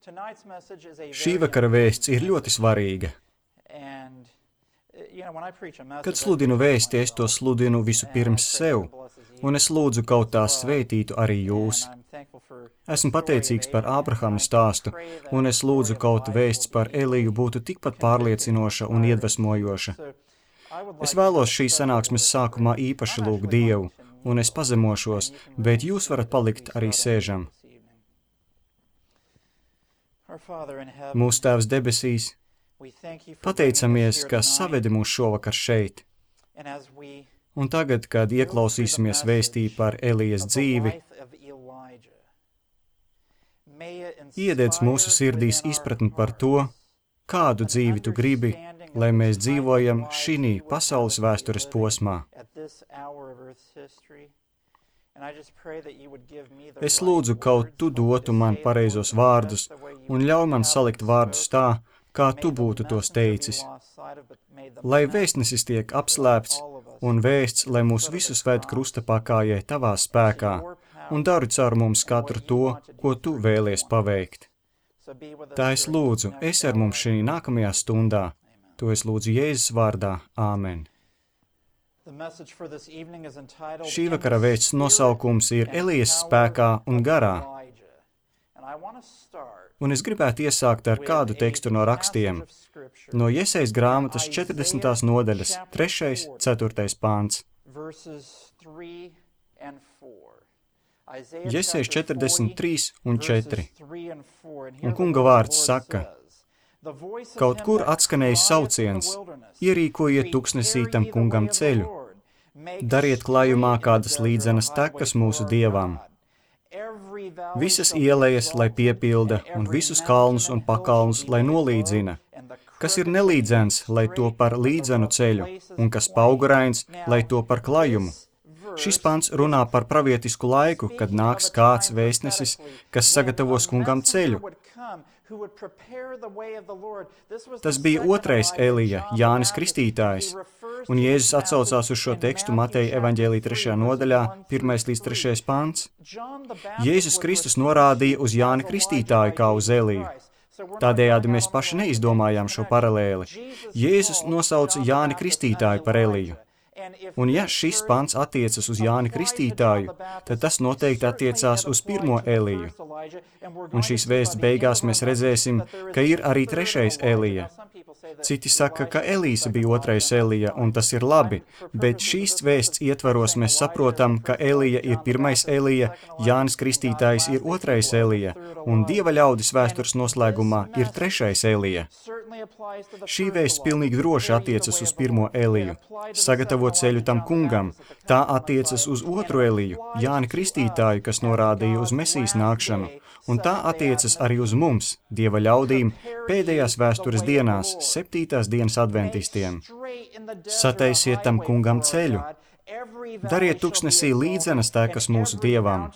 Šī vakara vēsts ir ļoti svarīga. Kad sludinu vēsti, es to sludinu visu pirms sev, un es lūdzu kaut tā svētītu arī jūs. Esmu pateicīgs par Ābrahama stāstu, un es lūdzu kaut vēsts par Eliju būtu tikpat pārliecinoša un iedvesmojoša. Es vēlos šīs sanāksmes sākumā īpaši lūgt Dievu, un es pazemošos, bet jūs varat palikt arī sēžam. Mūsu Tēvs debesīs, pateicamies, ka savedi mūs šovakar šeit. Un tagad, kad ieklausīsimies vēstī par Elijas dzīvi, iededz mūsu sirdīs izpratni par to, kādu dzīvi tu gribi, lai mēs dzīvojam šī pasaules vēstures posmā. Es lūdzu, kaut tu dotu man pareizos vārdus un ļauj man salikt vārdus tā, kā tu būtu tos teicis. Lai vēstnesis tiek apslēpts un vēsts, lai mūs visus ved krusta pakājai tavā spēkā un dari caur mums katru to, ko tu vēlies paveikt. Tā es lūdzu, esi ar mums šī nākamajā stundā. To es lūdzu Jēzus vārdā. Āmen. Šī vakara vēsts nosaukums ir Elijas spēkā un garā. Un es gribētu iesākt ar kādu tekstu no rakstiem. No Jesejas grāmatas 40. nodaļas, 3. 4. pāns. Jesejas 43 un 4. Un kunga vārds saka: kaut kur atskanējis sauciens, ierīkojiet tuksnesī tam kungam ceļu, dariet klājumā kādas līdzenas tekas mūsu Dievam. Visas ielejas, lai piepilda, un visus kalnus un pakalnus, lai nolīdzina. Kas ir nelīdzens, lai to par līdzenu ceļu, un kas paugurains, lai to par klajumu. Šis pants runā par pravietisku laiku, kad nāks kāds vēstnesis, kas sagatavos kungam ceļu. Tas bija otrais Elija, Jānis Kristītājs, un Jēzus atsaucās uz šo tekstu Mateja evaņģēlija 3. nodaļā, 1. līdz 3. pants. Jēzus Kristus norādīja uz Jāni Kristītāju kā uz Eliju. Tādējādi mēs paši neizdomājām šo paralēli. Jēzus nosauca Jāni Kristītāju par Eliju. Un ja šis pants attiecas uz Jāni Kristītāju, tad tas noteikti attiecās uz pirmo Eliju. Un šīs vēsts beigās mēs redzēsim, ka ir arī trešais Elija. Citi saka, ka Elīsa bija otrais Elija, un tas ir labi, bet šīs vēsts ietvaros mēs saprotam, ka Elija ir pirmais Elija, Jānis Kristītājs ir otrais Elija, un Dieva ļaudis vēstures noslēgumā ir trešais Elija. Šī vēsts pilnīgi droši attiecas uz pirmo Eliju, sagatavot ceļu tam kungam. Tā attiecas uz otru Eliju, Jāni Kristītāju, kas norādīja uz Mesijas nākšanu, un tā attiecas arī uz mums, Dieva ļaudīm, pēdējās vēstures dienās, 7. dienas adventistiem. Sataisiet tam kungam ceļu. Dariet tuksnesī līdzenas tekas mūsu Dievam.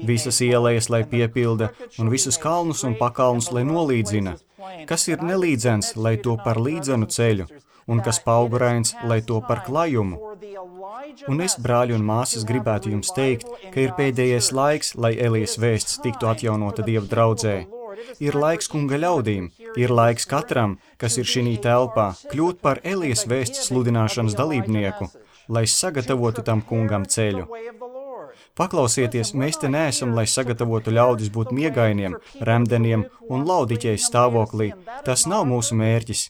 Visas ielejas, lai piepilda, un visus kalnus un pakalnus, lai nolīdzina. Kas ir nelīdzens, lai to par līdzenu ceļu, un kas paugurains, lai to par klajumu. Un es, brāļi un māsas, gribētu jums teikt, ka ir pēdējais laiks, lai Elijas vēsts tiktu atjaunota Dieva draudzē. Ir laiks kunga ļaudīm, ir laiks katram, kas ir šī telpā, kļūt par Elijas vēsts sludināšanas dalībnieku, lai sagatavotu tam kungam ceļu. Paklausieties, mēs te neesam, lai sagatavotu ļaudis būt miegainiem, remdeniem un laudiķeis stāvoklī. Tas nav mūsu mērķis.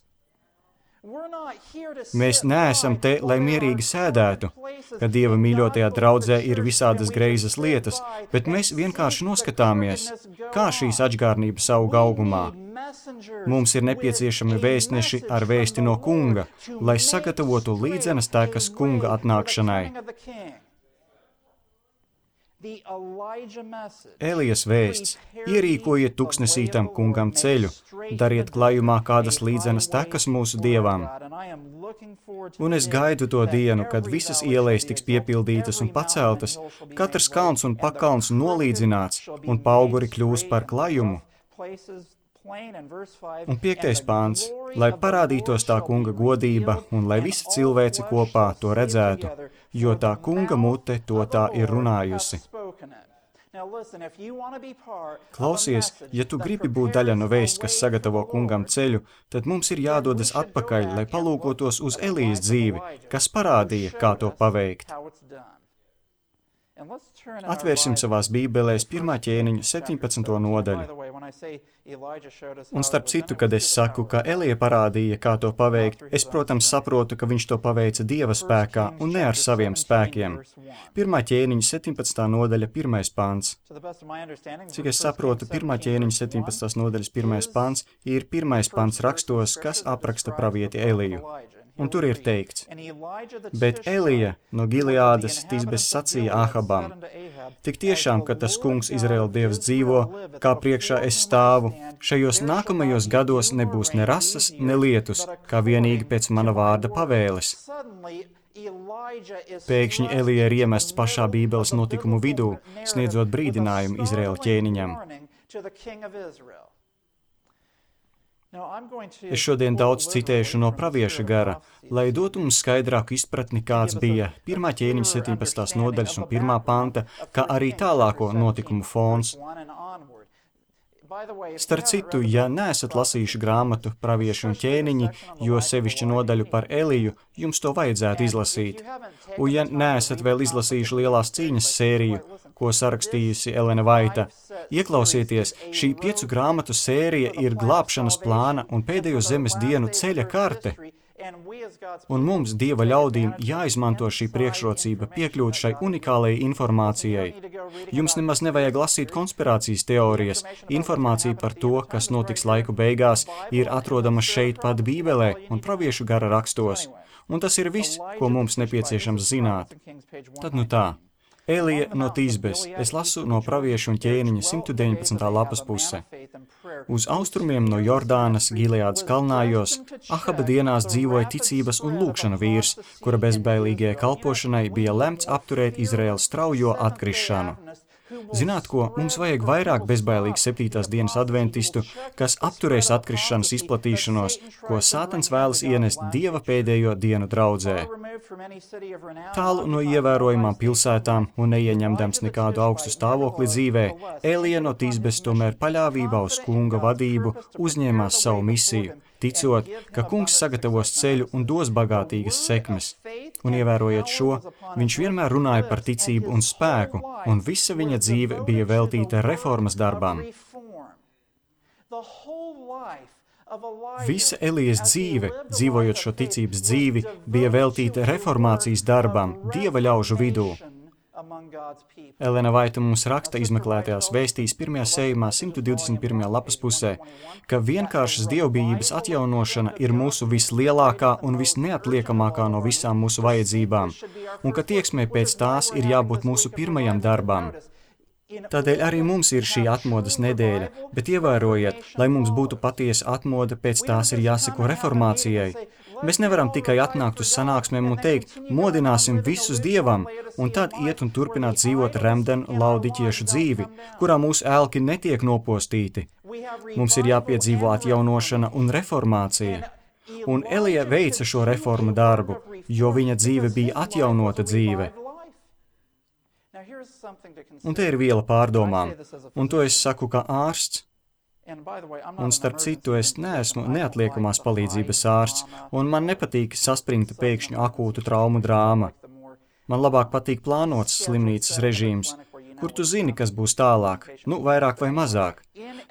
Mēs neesam te, lai mierīgi sēdētu, ka Dieva mīļotajā draudzē ir visādas greizas lietas, bet mēs vienkārši noskatāmies, kā šīs atžgārnības aug augumā. Mums ir nepieciešami vēstneši ar vēsti no kunga, lai sagatavotu līdzenas tekas kunga atnākšanai. Elijas vēsts: ierīkojiet tuksnesī tam kungam ceļu, dariet klājumā kādas līdzenas tekas mūsu Dievam. Un es gaidu to dienu, kad visas ielejas tiks piepildītas un paceltas, katrs kalns un pakalns nolīdzināts, un pauguri kļūs par klajumu. Un 5. pāns: lai parādītos tā kunga godība, un lai visa cilvēce kopā to redzētu, jo tā kunga mute to tā ir runājusi. Klausies, ja tu gribi būt daļa no vēsts, kas sagatavo kungam ceļu, tad mums ir jādodas atpakaļ, lai palūkotos uz Elijas dzīvi, kas parādīja, kā to paveikt. Atvērsim savās bībelēs 1. ķēniņa 17. nodaļu. Un starp citu, kad es saku, ka Elija parādīja, kā to paveikt, es, protams, saprotu, ka viņš to paveica Dieva spēkā un ne ar saviem spēkiem. 1. ķēniņa 17. nodaļa, 1. pants. Cik es saprotu, 1. ķēniņa 17. nodaļas 1. pants ir 1. pants rakstos, kas apraksta pravieti Eliju. Un tur ir teikts, bet Elija no Gileādas Tisbes sacīja Ahabam, tik tiešām, ka tas kungs Izraēla Dievs dzīvo, kā priekšā es stāvu, šajos nākamajos gados nebūs ne rasas, ne lietus, kā vienīgi pēc mana vārda pavēles. Pēkšņi Elija ir iemests pašā Bībeles notikumu vidū, sniedzot brīdinājumu Izraēla ķēniņam. Es šodien daudz citēšu no pravieša gara, lai dotu mums skaidrāku izpratni, kāds bija 1. ķēniņa 17. nodaļas un 1. panta, kā arī tālāko notikumu fons. Starp citu, ja neesat lasījuši grāmatu Pravieši un ķēniņi, jo sevišķi nodaļu par Eliju, jums to vajadzētu izlasīt. Un ja neesat vēl izlasījuši Lielās cīņas sēriju, ko sarakstījusi Elena Vaita, ieklausieties, šī 5 grāmatu sērija ir glābšanas plāna un pēdējo zemes dienu ceļa karte. Un mums, Dieva ļaudīm, jāizmanto šī priekšrocība piekļūt šai unikālajai informācijai. Jums nemaz nevajag lasīt konspirācijas teorijas. Informācija par to, kas notiks laiku beigās, ir atrodama šeit pat Bībelē un praviešu gara rakstos. Un tas ir viss, ko mums nepieciešams zināt. Tad nu tā. Elija no Tisbes. Es lasu no Praviešu un ķēniņa 119. lapas puse. Uz austrumiem no Jordānas, Gileādas kalnājos, Ahaba dienās dzīvoja ticības un lūgšana vīrs, kura bezbailīgajai kalpošanai bija lemts apturēt Izraēlas straujo atkrišanu. Zināt ko, mums vajag vairāk bezbailīgu 7. dienas adventistu, kas apturēs atkrišanas izplatīšanos, ko Sātans vēlas ienest Dieva pēdējo dienu draudzē. Tālu no ievērojamām pilsētām un neieņemdams nekādu augstu stāvokli dzīvē, Elija no Tisbes tomēr paļāvībā uz kunga vadību uzņēmās savu misiju, ticot, ka kungs sagatavos ceļu un dos bagātīgas sekmes. Un ievērojiet šo, viņš vienmēr runāja par ticību un spēku, un visa viņa dzīve bija veltīta reformas darbām. Visa Elijas dzīve, dzīvojot šo ticības dzīvi, bija veltīta reformācijas darbām Dieva ļaužu vidū. Elena Vaita mums raksta izmeklētajās vēstīs 1. sējumā 121. lapas pusē, ka vienkāršas dievbijības atjaunošana ir mūsu vislielākā un visneatliekamākā no visām mūsu vajadzībām, un ka tieksmē pēc tās ir jābūt mūsu pirmajam darbam. Tādēļ arī mums ir šī atmodas nedēļa, bet ievērojiet, lai mums būtu patiesa atmoda, pēc tās ir jāseko reformācijai. Mēs nevaram tikai atnākt uz sanāksmēm un teikt, modināsim visus Dievam, un tad iet un turpināt dzīvot remdenu laudiķiešu dzīvi, kurā mūsu elki netiek nopostīti. Mums ir jāpiedzīvo atjaunošana un reformācija. Un Elija veica šo reformu darbu, jo viņa dzīve bija atjaunota dzīve. Un te ir viela pārdomām, un to es saku kā ārsts. Un starp citu, es neesmu neatliekamās palīdzības ārsts, un man nepatīk saspringta pēkšņu akūtu traumu drāma. Man labāk patīk plānots slimnīcas režīms, kur tu zini, kas būs tālāk, vairāk vai mazāk.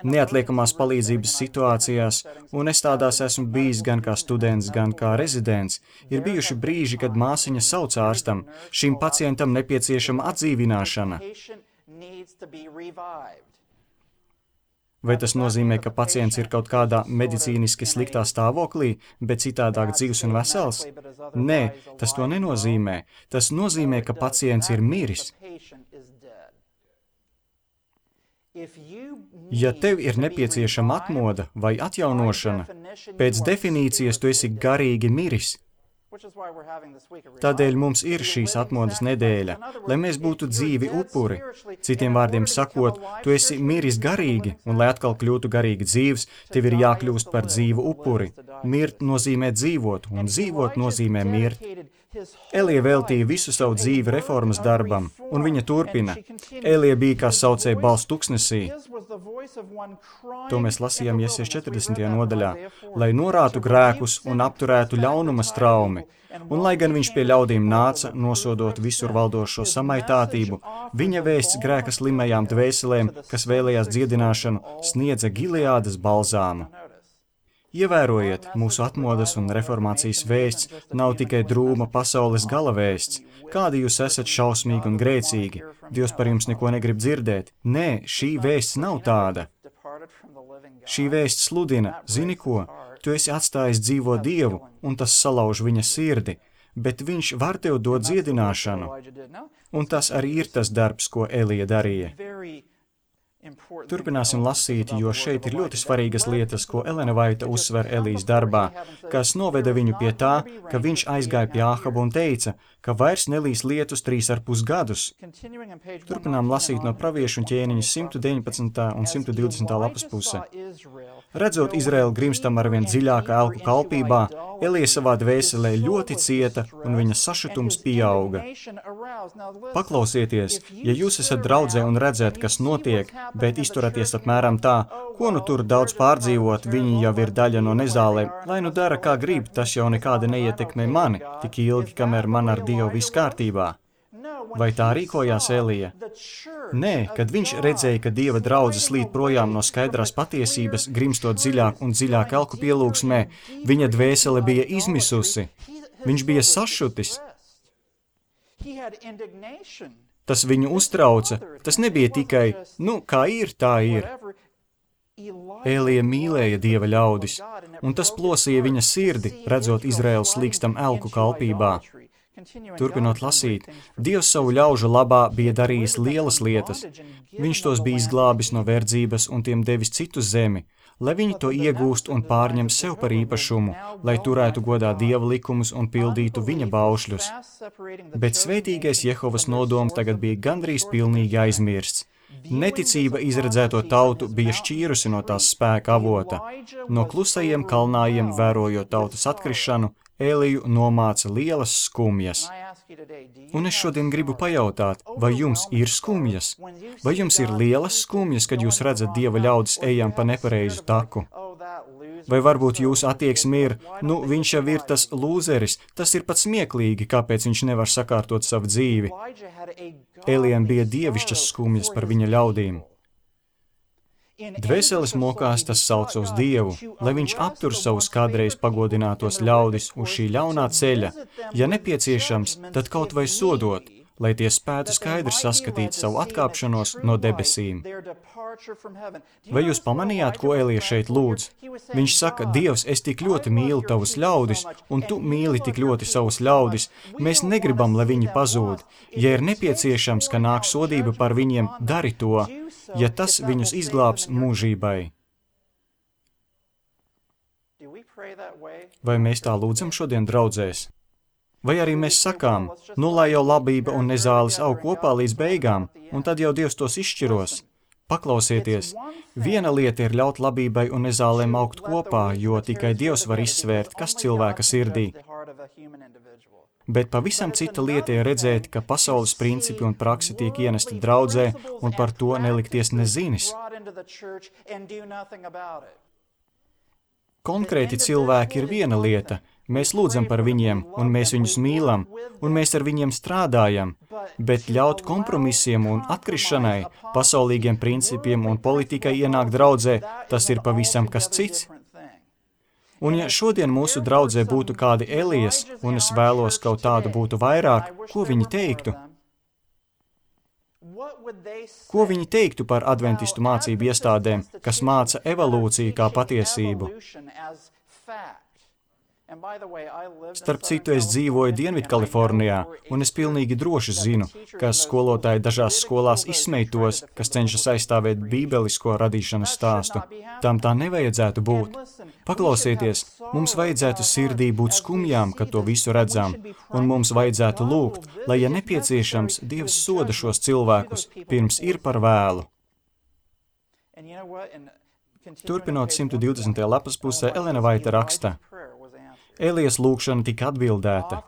Neatliekamās palīdzības situācijās, un es tādās esmu bijis gan kā students, gan kā rezidents, ir bijuši brīži, kad māsiņa sauc ārstam, šim pacientam nepieciešama atdzīvināšana. Vai tas nozīmē, ka pacients ir kaut kādā medicīniski sliktā stāvoklī, bet citādāk dzīvs un vesels? Nē, tas to nenozīmē. Tas nozīmē, ka pacients ir miris. Ja tev ir nepieciešama atmoda vai atjaunošana, pēc definīcijas tu esi garīgi miris. Tādēļ mums ir šīs atmodas nedēļa, lai mēs būtu dzīvi upuri. Citiem vārdiem sakot, tu esi miris garīgi, un lai atkal kļūtu garīgi dzīvs, tev ir jākļūst par dzīvu upuri. Mirt nozīmē dzīvot, un dzīvot nozīmē mirt. Elija veltīja visu savu dzīvi reformas darbam, un viņa turpina. Elija bija kā saucēja balss tuksnesī. To mēs lasījām Iesijas 40. nodaļā, lai norātu grēkus un apturētu ļaunuma straumi. Un lai gan viņš pie ļaudīm nāca, nosodot visur valdošo samaitātību, viņa vēsts grēka slimajām dvēselēm, kas vēlējās dziedināšanu, sniedza Gileādas balzāmu. Ievērojiet, mūsu atmodas un reformācijas vēsts nav tikai drūma pasaules gala vēsts. Kādi jūs esat šausmīgi un grēcīgi? Dievs par jums neko negrib dzirdēt. Nē, šī vēsts nav tāda. Šī vēsts sludina, zini ko? Tu esi atstājis dzīvo Dievu, un tas salauž viņa sirdi, bet viņš var tev dot dziedināšanu. Un tas arī ir tas darbs, ko Elija darīja. Turpināsim lasīt, jo šeit ir ļoti svarīgas lietas, ko Elena Vaita uzsver Elijas darbā, kas noveda viņu pie tā, ka viņš aizgāja pie Āhaba un teica, ka vairs nelīs lietus 3,5 gadus. Turpinām lasīt no praviešu ķēniņa 119. un 120. lapas puse. Redzot Izraēlu grimstam arvien dziļākā elku kalpībā, Elija savā dvēselē ļoti cieta un viņa sašutums pieauga. Paklausieties, ja jūs esat draudzē un redzēt, kas notiek, bet izturaties apmēram tā, ko nu tur daudz pārdzīvot, viņi jau ir daļa no nezālēm, lai nu dara kā grib, tas jau nekāda neietekmē mani, tik ilgi, kamēr man ar Dievu viss kārtībā. Vai tā rīkojās Elija? Nē, kad viņš redzēja, ka Dieva draudze slīd projām no skaidrās patiesības, grimstot dziļāk un dziļāk elku pielūgsmē, viņa dvēsele bija izmisusi. Viņš bija sašutis. Tas viņu uztrauca. Tas nebija tikai, kā ir, tā ir. Elija mīlēja Dieva ļaudis, un tas plosīja viņa sirdi, redzot Izraēlu slīkstam elku kalpībā. Turpinot lasīt, Dievs savu ļaužu labā bija darījis lielas lietas. Viņš tos bija izglābis no verdzības un tiem devis citu zemi, lai viņi to iegūst un pārņem sev par īpašumu, lai turētu godā Dieva likumus un pildītu viņa baušļus. Bet svētīgais Jehovas nodoms tagad bija gandrīz pilnīgi aizmirsts. Neticība izredzēto tautu bija šķīrusi no tās spēka avota. No klusajiem kalnājiem, vērojot tautas atkrišanu, Eliju nomāca lielas skumjas. Un es šodien gribu pajautāt, vai jums ir skumjas? Vai jums ir lielas skumjas, kad jūs redzat Dieva ļaudis ejam pa nepareizu taku? Vai varbūt jūsu attieksme ir, viņš jau ir tas lūzeris, tas ir pat smieklīgi, kāpēc viņš nevar sakārtot savu dzīvi? Elijam bija dievišķas skumjas par viņa ļaudīm. Dvēseles mokās tas sauc uz Dievu, lai viņš aptur savus kādreiz pagodinātos ļaudis uz šī ļaunā ceļa, ja nepieciešams, tad kaut vai sodot, lai tie spētu skaidri saskatīt savu atkāpšanos no debesīm. Vai jūs pamanījāt, ko Elija šeit lūdz? Viņš saka, Dievs, es tik ļoti mīlu tavus ļaudis, un tu mīli tik ļoti savus ļaudis, mēs negribam, lai viņi pazūd. Ja ir nepieciešams, ka nāk sodība par viņiem, dari to, ja tas viņus izglābs mūžībai. Vai mēs tā lūdzam šodien draudzēs? Vai arī mēs sakām, lai jau labība un nezāles aug kopā līdz beigām, un tad jau Dievs tos izšķiros? Paklausieties, viena lieta ir ļaut labībai un nezālēm augt kopā, jo tikai Dievs var izsvērt, kas cilvēka sirdī. Bet pavisam cita lieta ir redzēt, ka pasaules principi un prakse tiek ienesti draudzē, un par to nelikties nezinis. Konkrēti cilvēki ir viena lieta. Mēs lūdzam par viņiem, un mēs viņus mīlam, un mēs ar viņiem strādājam, bet ļaut kompromisiem un atkrišanai, pasaulīgiem principiem un politikai ienākt draudzē, tas ir pavisam kas cits. Un ja šodien mūsu draudzē būtu kādi Elijas, un es vēlos kaut tādu būtu vairāk, ko viņi teiktu? Ko viņi teiktu par adventistu mācību iestādēm, kas māca evolūciju kā patiesību? Starp citu, es dzīvoju Dienvidkalifornijā, un es pilnīgi droši zinu, ka skolotāji dažās skolās izsmej-tos, kas cenšas aizstāvēt bībelisko radīšanas stāstu. Tam tā nevajadzētu būt. Paklausieties, mums vajadzētu sirdī būt skumjām, kad to visu redzam, un mums vajadzētu lūgt, lai, ja nepieciešams, Dievs soda šos cilvēkus, pirms ir par vēlu. Turpinot 120. lapas pusē, Elena Vaita raksta. Elijas lūgšana tika atbildēta.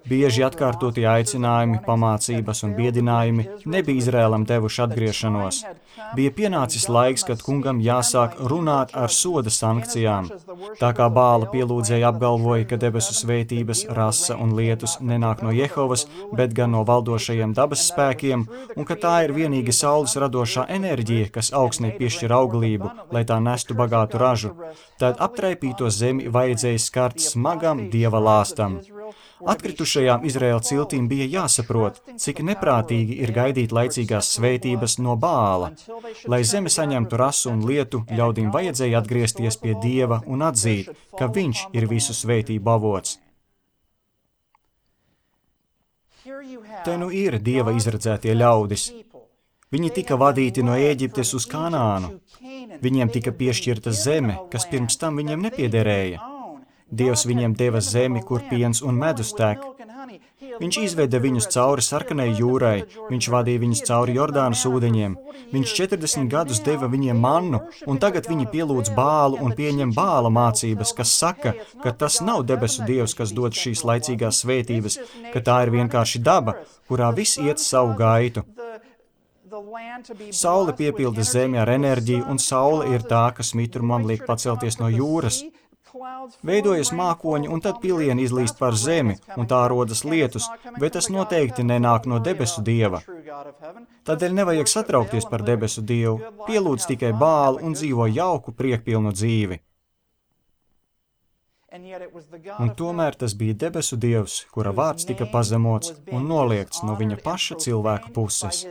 Bieži atkārtotie aicinājumi, pamācības un biedinājumi nebija Izrēlam devuši atgriešanos. Bija pienācis laiks, kad kungam jāsāk runāt ar soda sankcijām. Tā kā Bāla pielūdzēja apgalvoja, ka debesu svētības, rasa un lietus nenāk no Jehovas, bet gan no valdošajiem dabas spēkiem, un ka tā ir vienīgi saules radošā enerģija, kas augsnei piešķir auglību, lai tā nestu bagātu ražu, tad aptraipīto zemi vajadzēja skart smagam dieva lāstam. Atkritušajām Izraēla ciltīm bija jāsaprot, cik neprātīgi ir gaidīt laicīgās svētības no Bāla. Lai zeme saņemtu rasu un lietu, ļaudīm vajadzēja atgriezties pie Dieva un atzīt, ka viņš ir visu svētību avots. Te nu ir Dieva izredzētie ļaudis. Viņi tika vadīti no Ēģiptes uz Kanānu. Viņiem tika piešķirta zeme, kas pirms tam viņiem nepiederēja. Dievs viņiem deva zemi, kur piens un medus tek. Viņš izveda viņus cauri Sarkanai jūrai, viņš vadīja viņus cauri Jordānas ūdeņiem. Viņš 40 gadus deva viņiem mannu, un tagad viņi pielūdz Bālu un pieņem Bāla mācības, kas saka, ka tas nav debesu Dievs, kas dod šīs laicīgās svētības, ka tā ir vienkārši daba, kurā viss iet savu gaitu. Saule piepilda zemi ar enerģiju, un saule ir tā, kas mitrumam liek pacelties no jūras. Veidojas mākoņi, un tad pilieni izlīst par zemi, un tā rodas lietus, bet tas noteikti nenāk no debesu Dieva. Tādēļ nevajag satraukties par debesu Dievu, pielūdz tikai Bālu un dzīvo jauku, priekpilnu dzīvi. Un tomēr tas bija debesu Dievs, kura vārds tika pazemots un noliegts no viņa paša cilvēka puses.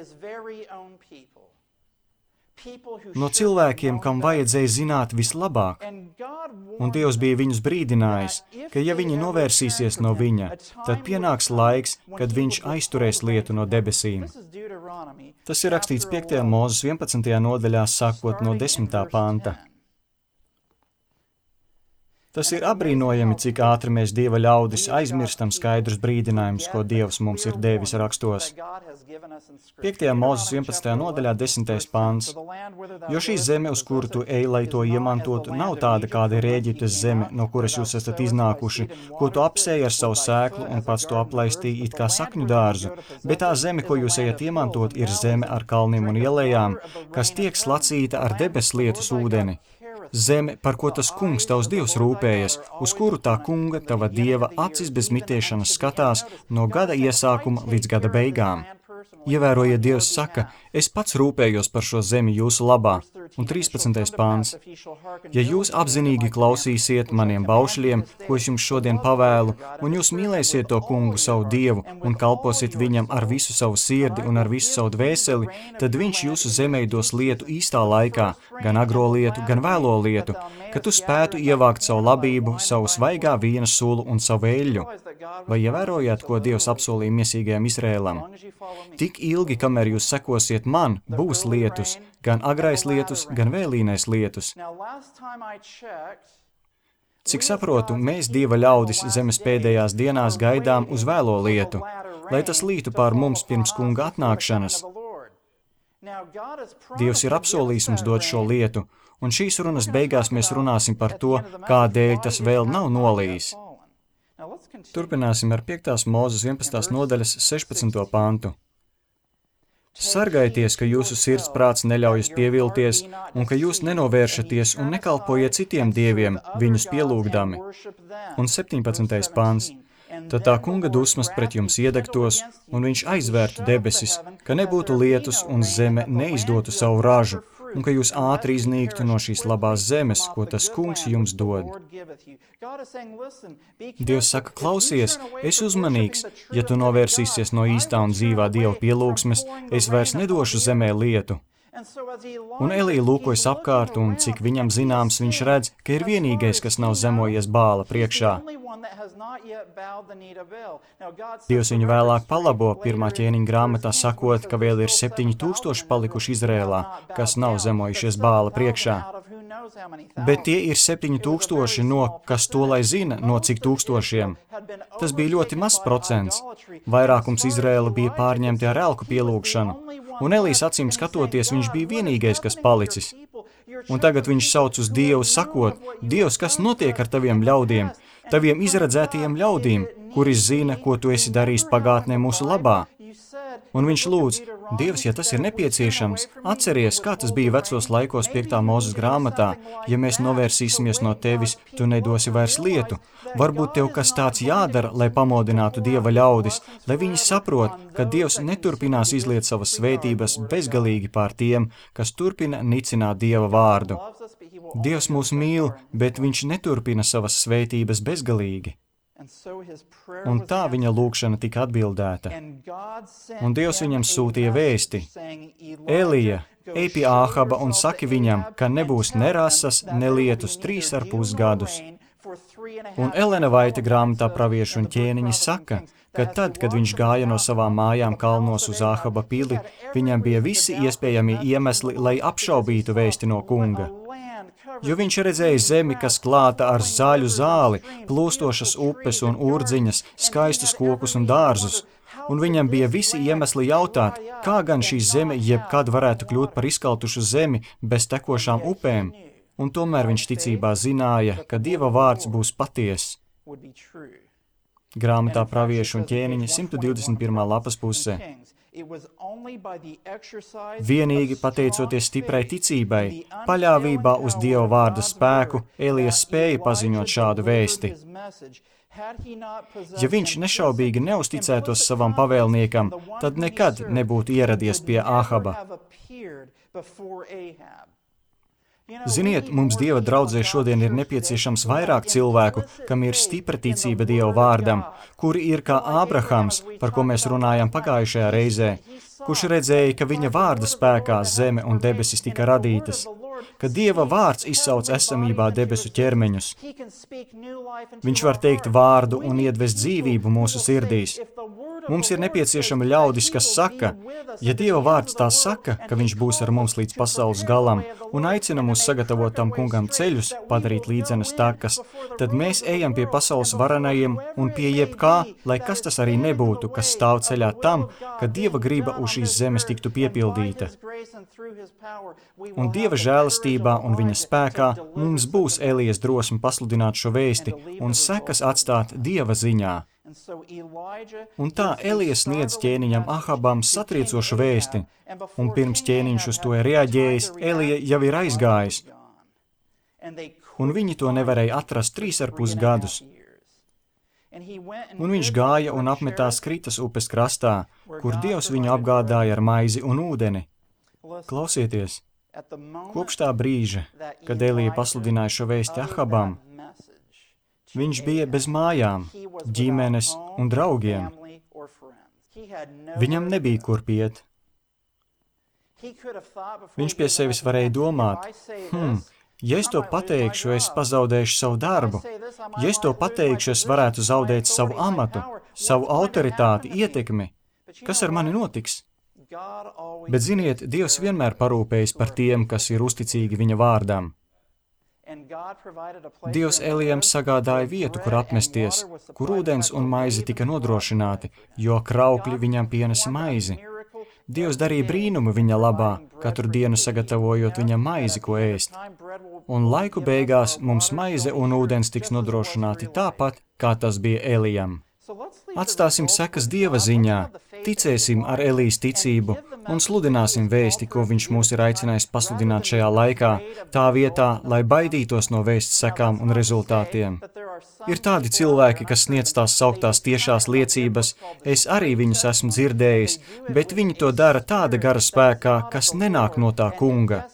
No cilvēkiem, kam vajadzēja zināt vislabāk, un Dievs bija viņus brīdinājis, ka ja viņi novērsīsies no viņa, tad pienāks laiks, kad viņš aizturēs lietu no debesīm. Tas ir rakstīts 5. Mūzes 11. nodaļā, sākot no 10. panta. Tas ir apbrīnojami, cik ātri mēs Dieva ļaudis aizmirstam skaidrus brīdinājumus, ko Dievs mums ir devis rakstos. 5. Mūzes 11. nodaļā 10. pants. Jo šī zeme, uz kuru tu ej, lai to iemantotu, nav tāda, kāda ir Ēģiptes zeme, no kuras jūs esat iznākuši, ko tu apsēji ar savu sēklu un pats to aplaistīji it kā sakņu dārzu, bet tā zeme, ko jūs ejat iemantot, ir zeme ar kalniem un ielējām, kas tiek slacīta ar debeslietus ūdeni. Zeme, par ko tas kungs tavs Dievs rūpējas, uz kuru tā kunga, tava Dieva acis bez mitēšanas skatās no gada iesākuma līdz gada beigām. Ievērojiet, Dievs saka, es pats rūpējos par šo zemi jūsu labā. Un 13. pāns. Ja jūs apzinīgi klausīsiet maniem baušļiem, ko es jums šodien pavēlu, un jūs mīlēsiet to kungu savu Dievu un kalposiet viņam ar visu savu sirdi un ar visu savu dvēseli, tad viņš jūsu zemē dos lietu īstā laikā, gan agro lietu, gan vēlo lietu, ka tu spētu ievākt savu labību, savu svaigā vīna sulu un savu eļļu. Vai ievērojāt, ko Dievs apsolīja miesīgajam Izrēlam? Tik ilgi, kamēr jūs sekosiet man, būs lietus, gan agrais lietus, gan vēlīnais lietus. Cik saprotu, mēs Dieva ļaudis zemes pēdējās dienās gaidām uz vēlo lietu, lai tas lītu pār mums pirms kunga atnākšanas. Dievs ir apsolījis mums dot šo lietu, un šīs runas beigās mēs runāsim par to, kādēļ tas vēl nav nolījis. Turpināsim ar 5. Mūzes 11. nodaļas 16. pantu. Sargaities, ka jūsu sirds prāts neļaujas pievilties, un ka jūs nenovēršaties un nekalpojiet citiem dieviem, viņus pielūgdami. Un 17. pants. Tad tā kunga dusmas pret jums iedegtos, un viņš aizvērtu debesis, ka nebūtu lietus un zeme neizdotu savu ražu, un ka jūs ātri iznīktu no šīs labās zemes, ko tas kungs jums dod. Dievs saka, klausies, es uzmanīgs, ja tu novērsīsies no īstā un dzīvā Dieva pielūgsmes, es vairs nedošu zemē lietu. Un Elija lūkojas apkārt, un cik viņam zināms, viņš redz, ka ir vienīgais, kas nav zemojies Bāla priekšā. Dievs viņu vēlāk palabo 1. ķēniņa grāmatā sakot, ka vēl ir 7000 palikuši Izrēlā, kas nav zemojušies Bāla priekšā. Bet tie ir 7000 no, kas to lai zina, no cik tūkstošiem. Tas bija ļoti mazs procents. Vairākums Izrēla bija pārņemti ar elku pielūgšanu, un Elijas acīm skatoties, viņš bija vienīgais, kas palicis. Un tagad viņš sauc uz Dievu sakot, Dievs, kas notiek ar taviem ļaudiem, taviem izredzētajiem ļaudīm, kuri zina, ko tu esi darījis pagātnē mūsu labā? Un viņš lūdz, Dievs, ja tas ir nepieciešams, atceries, kā tas bija vecos laikos 5. Mūzes grāmatā, ja mēs novērsīsimies no tevis, tu nedosi vairs lietu. Varbūt tev kas tāds jādara, lai pamodinātu Dieva ļaudis, lai viņi saprot, ka Dievs neturpinās izliet savas svētības bezgalīgi pār tiem, kas turpina nicināt Dieva vārdu. Dievs mūs mīl, bet viņš neturpina savas svētības bezgalīgi. Un tā viņa lūgšana tika atbildēta. Un Dievs viņam sūtīja vēsti. Elija, ej pie Āhaba un saki viņam, ka nebūs ne rasas, ne lietus 3,5 gadus. Un Elena Vaita grāmatā Pravieši un ķēniņi saka, ka tad, kad viņš gāja no savām mājām kalnos uz Āhaba pili, viņam bija visi iespējamie iemesli, lai apšaubītu vēsti no kunga. Jo viņš redzēja zemi, kas klāta ar zaļu zāli, plūstošas upes un urdziņas, skaistus kokus un dārzus, un viņam bija visi iemesli jautāt, kā gan šī zeme jebkad varētu kļūt par izkaltušu zemi bez tekošām upēm, un tomēr viņš ticībā zināja, ka Dieva vārds būs patiess. Grāmatā Pravieši un ķēniņi 121. lapas pusē. Vienīgi pateicoties stiprai ticībai, paļāvībā uz Dieva vārda spēku, Elijas spēja paziņot šādu vēsti. Ja viņš nešaubīgi neusticētos savam pavēlniekam, tad nekad nebūtu ieradies pie Āhaba. Ziniet, mums Dieva draudzē šodien ir nepieciešams vairāk cilvēku, kam ir stipra ticība Dieva vārdam, kuri ir kā Ābrahams, par ko mēs runājām pagājušajā reizē, kurš redzēja, ka viņa vārda spēkā zeme un debesis tika radītas, ka Dieva vārds izsauc esamībā debesu ķermeņus. Viņš var teikt vārdu un iedvest dzīvību mūsu sirdīs. Mums ir nepieciešama ļaudis, kas saka, ja Dieva vārds tā saka, ka viņš būs ar mums līdz pasaules galam un aicina mūs sagatavot tam kungam ceļus, padarīt līdzenas takas, tad mēs ejam pie pasaules varenajiem un pie jebkā, lai kas tas arī nebūtu, kas stāv ceļā tam, ka Dieva griba uz šīs zemes tiktu piepildīta. Un Dieva žēlastībā un viņa spēkā mums būs Elijas drosme pasludināt šo vēsti un sekas atstāt Dieva ziņā. Un tā Elijas sniedz ķēniņam Ahabam satriecošu vēsti, un pirms ķēniņš uz to ir reaģējis, Elija jau ir aizgājis, un viņi to nevarēja atrast 3,5 gadus. Un viņš gāja un apmetās Kritas upes krastā, kur Dievs viņu apgādāja ar maizi un ūdeni. Klausieties, kopš tā brīža, kad Elija pasludināja šo vēsti Ahabam, viņš bija bez mājām, ģimenes un draugiem. Viņam nebija kur iet. Viņš pie sevis varēja domāt, ja es to pateikšu, es pazaudēšu savu darbu. Ja es to pateikšu, es varētu zaudēt savu amatu, savu autoritāti, ietekmi. Kas ar mani notiks? Bet ziniet, Dievs vienmēr parūpējas par tiem, kas ir uzticīgi viņa vārdam. Dievs Elijam sagādāja vietu, kur apmesties, kur ūdens un maize tika nodrošināti, jo kraukļi viņam pienesa maizi. Dievs darīja brīnumu viņa labā, katru dienu sagatavojot viņam maizi, ko ēst. Un laiku beigās mums maize un ūdens tiks nodrošināti tāpat, kā tas bija Elijam. Atstāsim sekas Dieva ziņā, ticēsim ar Elijas ticību un sludināsim vēsti, ko viņš mūs ir aicinājis pasludināt šajā laikā, tā vietā, lai baidītos no vēsts sekām un rezultātiem. Ir tādi cilvēki, kas sniedz tās sauktās tiešās liecības, es arī viņus esmu dzirdējis, bet viņi to dara tāda gara spēkā, kas nenāk no tā kunga.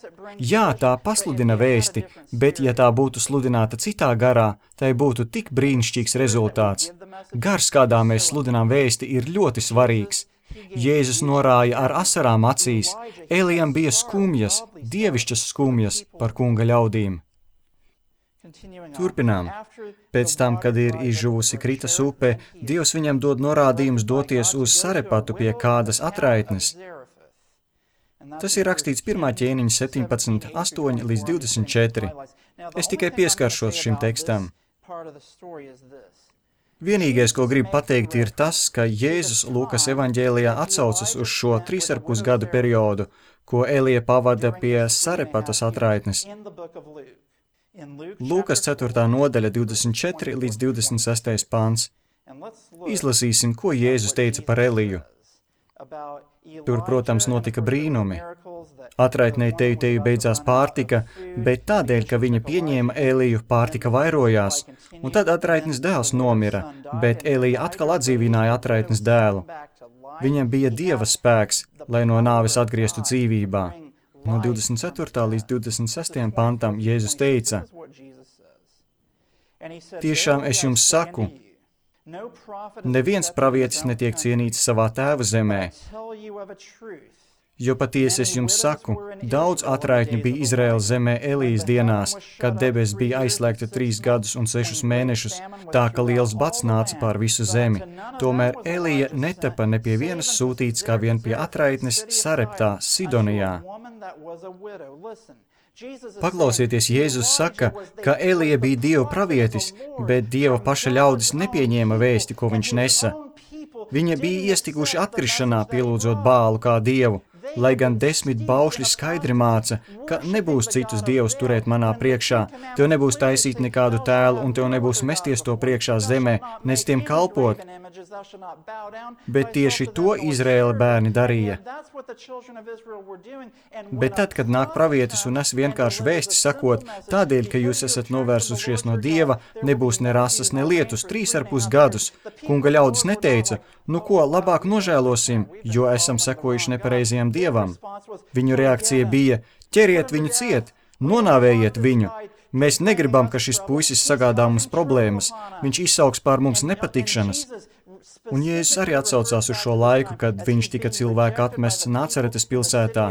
Jā, tā pasludina vēsti, bet ja tā būtu sludināta citā garā, tai būtu tik brīnišķīgs rezultāts. Gars, kādā mēs sludinām vēsti, ir ļoti svarīgs. Jēzus norāja ar asarām acīs, Elijam bija skumjas, dievišķas skumjas par kunga ļaudīm. Turpinām. Pēc tam, kad ir izžuvusi Kritas upe, Dievs viņam dod norādījumus doties uz Sarepatu pie kādas atraitnes. Tas ir rakstīts 1. ķēniņa 17, 8 līdz 24. Es tikai pieskaršos šim tekstam. Vienīgais, ko gribu pateikt, ir tas, ka Jēzus Lūkas evaņģēlijā atsaucas uz šo 3,5 gadu periodu, ko Elija pavada pie Sarepatas atraitnes. Lūkas 4. nodaļa 24 līdz 26. pāns. Izlasīsim, ko Jēzus teica par Eliju. Tur, protams, notika brīnumi. Atraitnei teju beidzās pārtika, bet tādēļ, ka viņa pieņēma Eliju, pārtika vairojās, un tad atraitnes dēls nomira, bet Elija atkal atdzīvināja atraitnes dēlu. Viņam bija Dieva spēks, lai no nāves atgrieztu dzīvībā. No 24. līdz 26. pantam Jēzus teica: Tiešām es jums saku, neviens pravietis netiek cienīts savā tēva zemē. Jo patiesi es jums saku, daudz atraitņu bija Izraēlas zemē Elijas dienās, kad debesis bija aizslēgta 3 gadus un 6 mēnešus, tā ka liels bats nāca pār visu zemi. Tomēr Elija netapa ne pie vienas sūtīts, kā vien pie atraitnes Sareptā, Sidonijā. Paklausieties, Jēzus saka, ka Elija bija Dieva pravietis, bet Dieva paša ļaudis nepieņēma vēsti, ko viņš nesa. Viņa bija iestiguši atkrišanā, pielūdzot Bālu kā dievu, lai gan 10 baušļi skaidri māca, ka nebūs citus dievus turēt manā priekšā, tev nebūs taisīt nekādu tēlu, un tev nebūs mesties to priekšā zemē, nec tiem kalpot. Bet tieši to Izraēla bērni darīja. Bet tad, kad nāk pravietis un nes vienkārši vēsti sakot, tādēļ, ka jūs esat novērsušies no Dieva, nebūs ne rases, ne lietus 3,5 gadus, kunga ļaudis neteica, nu ko, labāk nožēlosim, jo esam sekojuši nepareizajam Dievam. Viņu reakcija bija: ķeriet viņu ciet, nonāvējiet viņu. Mēs negribam, ka šis puisis sagādā mums problēmas, viņš izsauks pār mums nepatikšanas. Un Jēzus arī atsaucās uz šo laiku, kad viņš tika cilvēka atmests Nacaretes pilsētā.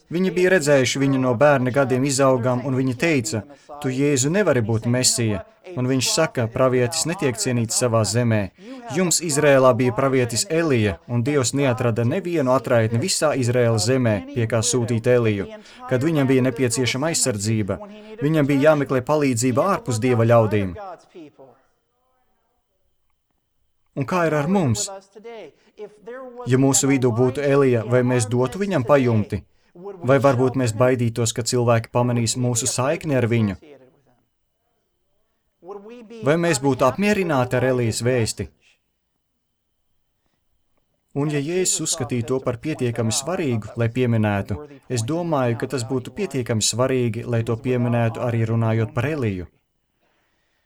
Viņi bija redzējuši viņu no bērna gadiem izaugam, un viņi teica: tu, Jēzu, nevari būt Mesija. Un viņš saka, pravietis netiek cienīts savā zemē. Jums Izrēlā bija pravietis Elija, un Dievs neatrada nevienu atraitni visā Izrēlas zemē, pie kā sūtīt Eliju. Kad viņam bija nepieciešama aizsardzība, viņam bija jāmeklē palīdzība ārpus Dieva ļaudīm. Un kā ir ar mums? Ja mūsu vidū būtu Elija, vai mēs dotu viņam pajumti? Vai varbūt mēs baidītos, ka cilvēki pamanīs mūsu saikni ar viņu? Vai mēs būtu apmierināti ar Elijas vēsti? Un ja Jēzus uzskatīja to par pietiekami svarīgu, lai pieminētu, es domāju, ka tas būtu pietiekami svarīgi, lai to pieminētu arī runājot par Eliju.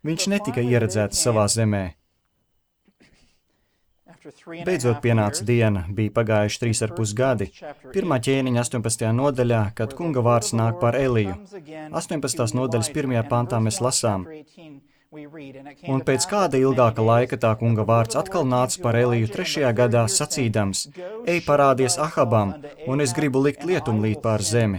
Viņš netika ieredzēts savā zemē. Beidzot pienāca diena, bija pagājuši 3,5 gadi. 1. ķēniņa 18. nodaļā, kad kunga vārds nāk par Eliju. 18. nodaļas 1. pantā mēs lasām: un pēc kāda ilgāka laika tā kunga vārds atkal nāca par Eliju 3. gadā, sacīdams: ej, parādies Ahabam, un es gribu likt lietumlīt pār zemi.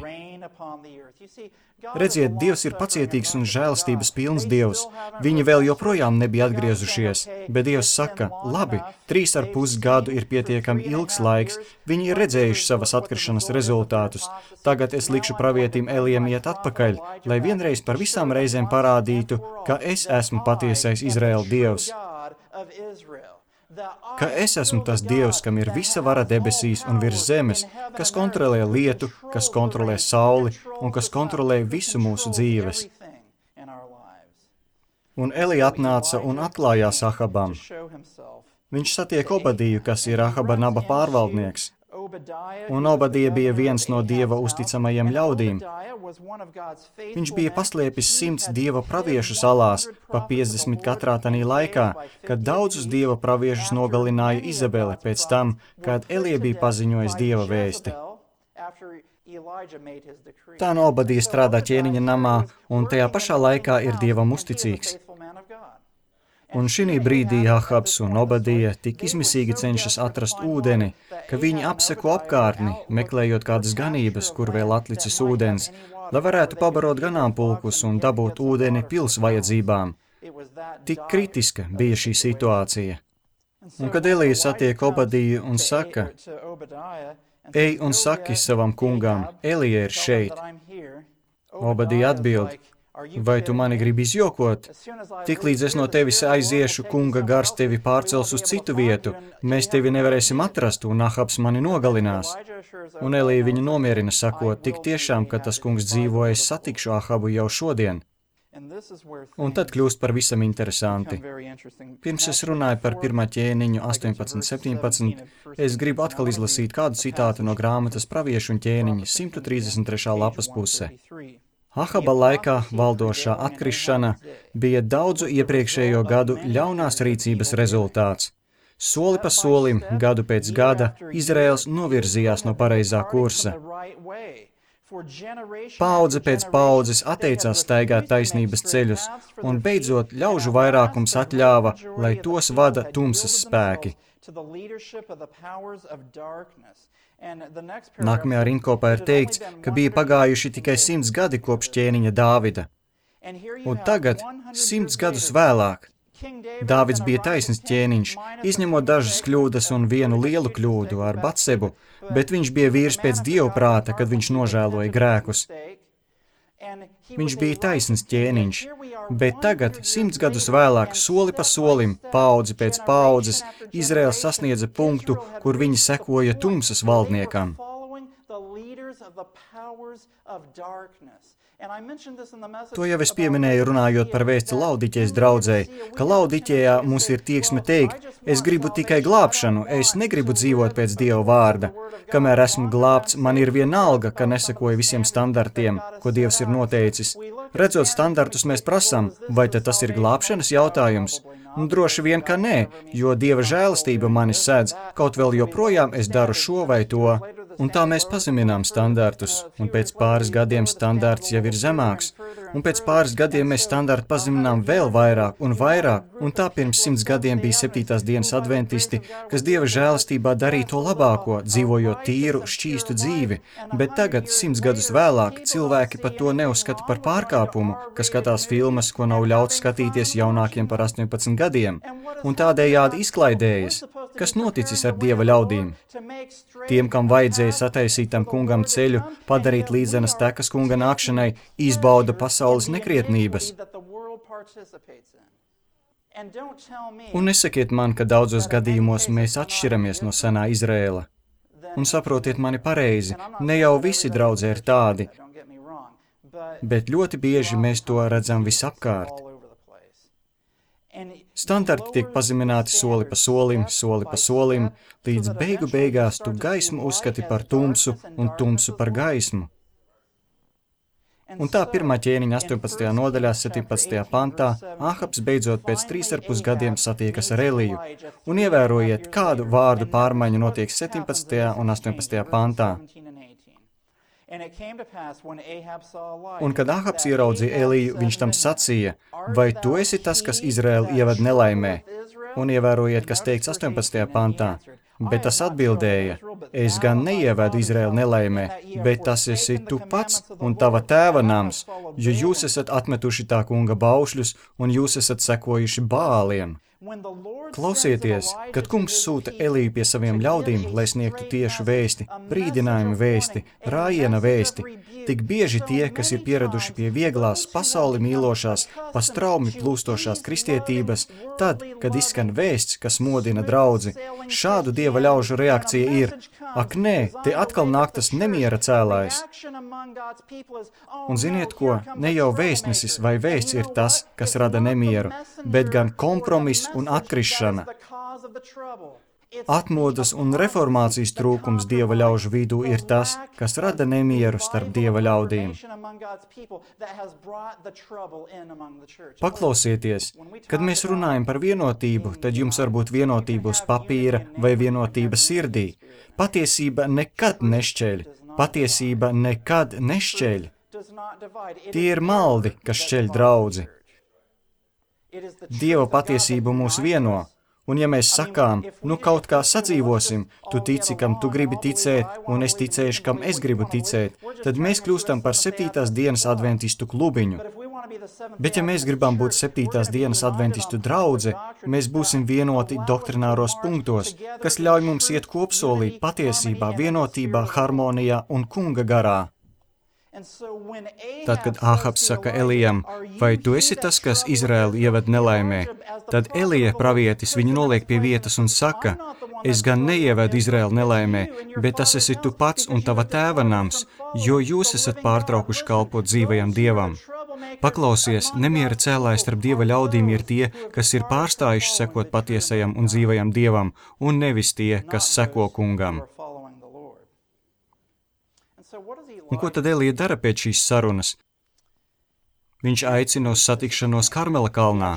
Redziet, Dievs ir pacietīgs un žēlastības pilns Dievs. Viņi vēl joprojām nebija atgriezušies, bet Dievs saka: labi, 3,5 gadu ir pietiekami ilgs laiks, viņi ir redzējuši savas atkrišanas rezultātus. Tagad es likšu pravietim Elijam iet atpakaļ, lai vienreiz par visām reizēm parādītu, ka es esmu patiesais Izraēla Dievs. Ka es esmu tas Dievs, kam ir visa vara debesīs un virs zemes, kas kontrolē lietu, kas kontrolē sauli un kas kontrolē visu mūsu dzīves. Un Elija atnāca un atklājās Ahabam. Viņš satiek Obadiju, kas ir Ahaba naba pārvaldnieks. Un Obadija bija viens no Dieva uzticamajiem ļaudīm. Viņš bija paslēpis 100 Dieva praviešu salās, pa 50 katrā tanī laikā, kad daudzus Dieva praviešus nogalināja Izabele pēc tam, kad Elija bija paziņojis Dieva vēsti. Tā no Obadija strādā ķēniņa namā, un tajā pašā laikā ir Dievam uzticīgs. Un šī brīdī Ahabs un Obadija tik izmisīgi cenšas atrast ūdeni, ka viņi apseko apkārtni, meklējot kādas ganības, kur vēl atlicis ūdens, lai varētu pabarot ganāmpulkus un dabūt ūdeni pils vajadzībām. Tik kritiska bija šī situācija. Un kad Elija satiek Obadiju un saka: ej un saki savam kungam, Elija ir šeit. Obadija atbild: Vai tu mani gribi izjokot? Tiklīdz es no tevis aiziešu, kunga gars tevi pārcels uz citu vietu, mēs tevi nevarēsim atrast, un Ahabs mani nogalinās. Un Elija viņu nomierina, sakot, tik tiešām, ka tas kungs dzīvo, es satikšu Ahabu jau šodien. Un tad kļūst par visam interesanti. Pirms es runāju par 1. ķēniņu 18:17, es gribu atkal izlasīt kādu citātu no grāmatas Praviešu un ķēniņa 133. lapas puse. Ahaba laikā valdošā atkrišana bija daudzu iepriekšējo gadu ļaunās rīcības rezultāts. Soli pa solim, gadu pēc gada, Izraels novirzījās no pareizā kursa. Paudze pēc paudzes atteicās staigāt taisnības ceļus, un beidzot ļaužu vairākums atļāva, lai tos vada tumsas spēki. Nākamajā rindkopā ir teikts, ka bija pagājuši tikai 100 gadi kopš ķēniņa Dāvida. Un tagad, 100 gadus vēlāk, Dāvids bija taisns ķēniņš, izņemot dažas kļūdas un vienu lielu kļūdu ar Batsebu, bet viņš bija vīrs pēc Dieva prāta, kad viņš nožēloja grēkus. Viņš bija taisns ķēniņš, bet tagad, 100 gadus vēlāk, soli pa solim, paudzi pēc paudzes, Izraels sasniedza punktu, kur viņi sekoja tumsas valdniekam. To jau es pieminēju runājot par vēsti Laodiķejas draudzei, ka Laodiķejā mums ir tieksme teikt, es gribu tikai glābšanu, es negribu dzīvot pēc Dieva vārda. Kamēr esmu glābts, man ir vienalga, ka nesekoju visiem standartiem, ko Dievs ir noteicis. Redzot standartus, mēs prasām, vai tad tas ir glābšanas jautājums? Droši vien, ka nē, jo Dieva žēlastība mani sēdz, kaut vēl joprojām es daru šo vai to. Un tā mēs pazeminām standartus, un pēc pāris gadiem standarts jau ir zemāks, un pēc pāris gadiem mēs standartu pazeminām vēl vairāk, un tā pirms 100 gadiem bija 7. dienas adventisti, kas Dieva žēlastībā darīja to labāko, dzīvojot tīru, šķīstu dzīvi, bet tagad, 100 gadus vēlāk, cilvēki pat to neuzskata par pārkāpumu, kas skatās filmas, ko nav ļauts skatīties jaunākiem par 18 gadiem, un tādējādi izklaidējas. Kas noticis ar Dieva ļaudīm? Tiem, kam vajadzēja sataisīt tam kungam ceļu, padarīt līdzenas tekas kunga nākšanai, izbauda pasaules nekrietnības. Un nesakiet man, ka daudzos gadījumos mēs atšķiramies no senā Izrēla. Un saprotiet mani pareizi, ne jau visi draudzē ir tādi, bet ļoti bieži mēs to redzam visapkārt. Standarti tiek pazemināti soli pa solim, līdz beigās tu gaismu uzskati par tumsu un tumsu par gaismu. Un tā 1. ķēniņa 18. nodaļā 17. pantā Ahabs beidzot pēc 3,5 gadiem satiekas ar Eliju, un ievērojiet, kādu vārdu pārmaiņu notiek 17. un 18. pantā. Un kad Ahabs ieraudzīja Eliju, viņš tam sacīja, vai tu esi tas, kas Izraēlu ieved nelaimē? Un ievērojiet, kas teikts 18. pantā. Bet tas atbildēja, es gan neievedu Izraēlu nelaimē, bet tas esi tu pats un tava tēva nams, jo jūs esat atmetuši tā kunga baušļus un jūs esat sekojuši Bāliem. Klausieties, kad kungs sūta Eliju pie saviem ļaudīm, lai sniegtu tiešu vēsti, brīdinājumu vēsti, rājiena vēsti, tik bieži tie, kas ir pieraduši pie vieglās, pasauli mīlošās, pa straumi plūstošās kristietības, tad, kad izskan vēsts, kas modina draudzi, šādu Dieva ļaužu reakcija ir, ak nē, te atkal nāk tas nemiera cēlājs. Un ziniet ko, ne jau vēstnesis vai vēsts ir tas, kas rada nemieru, bet gan kompromiss un atkrišana. Atmodas un reformācijas trūkums Dieva ļaužu vidū ir tas, kas rada nemieru starp Dieva ļaudīm. Paklausieties, kad mēs runājam par vienotību, tad jums var būt vienotība uz papīra vai vienotība sirdī. Patiesība nekad nešķeļ. Patiesība nekad nešķeļ. Tie ir maldi, kas šķeļ draudzi. Dieva patiesība mūs vieno. Un ja mēs sakām, nu kaut kā sadzīvosim, tu tici, kam tu gribi ticēt, un es ticēšu, kam es gribu ticēt, tad mēs kļūstam par 7. dienas adventistu klubiņu. Bet ja mēs gribam būt 7. dienas adventistu draudze, mēs būsim vienoti doktrināros punktos, kas ļauj mums iet kopsolī, patiesībā, vienotībā, harmonijā un kunga garā. Tad, kad Āhabs saka Elijam, vai tu esi tas, kas Izraēlu ieved nelaimē, tad Elija pravietis viņu noliek pie vietas un saka, es gan neievedu Izraēlu nelaimē, bet tas esi tu pats un tava tēva nams, jo jūs esat pārtraukuši kalpot dzīvajam Dievam. Paklausies, nemiera cēlājs starp Dieva ļaudīm ir tie, kas ir pārstājuši sekot patiesajam un dzīvajam Dievam, un nevis tie, kas seko kungam. Un ko tad Elija dara pēc šīs sarunas? Viņš aicina uz satikšanos Karmela kalnā,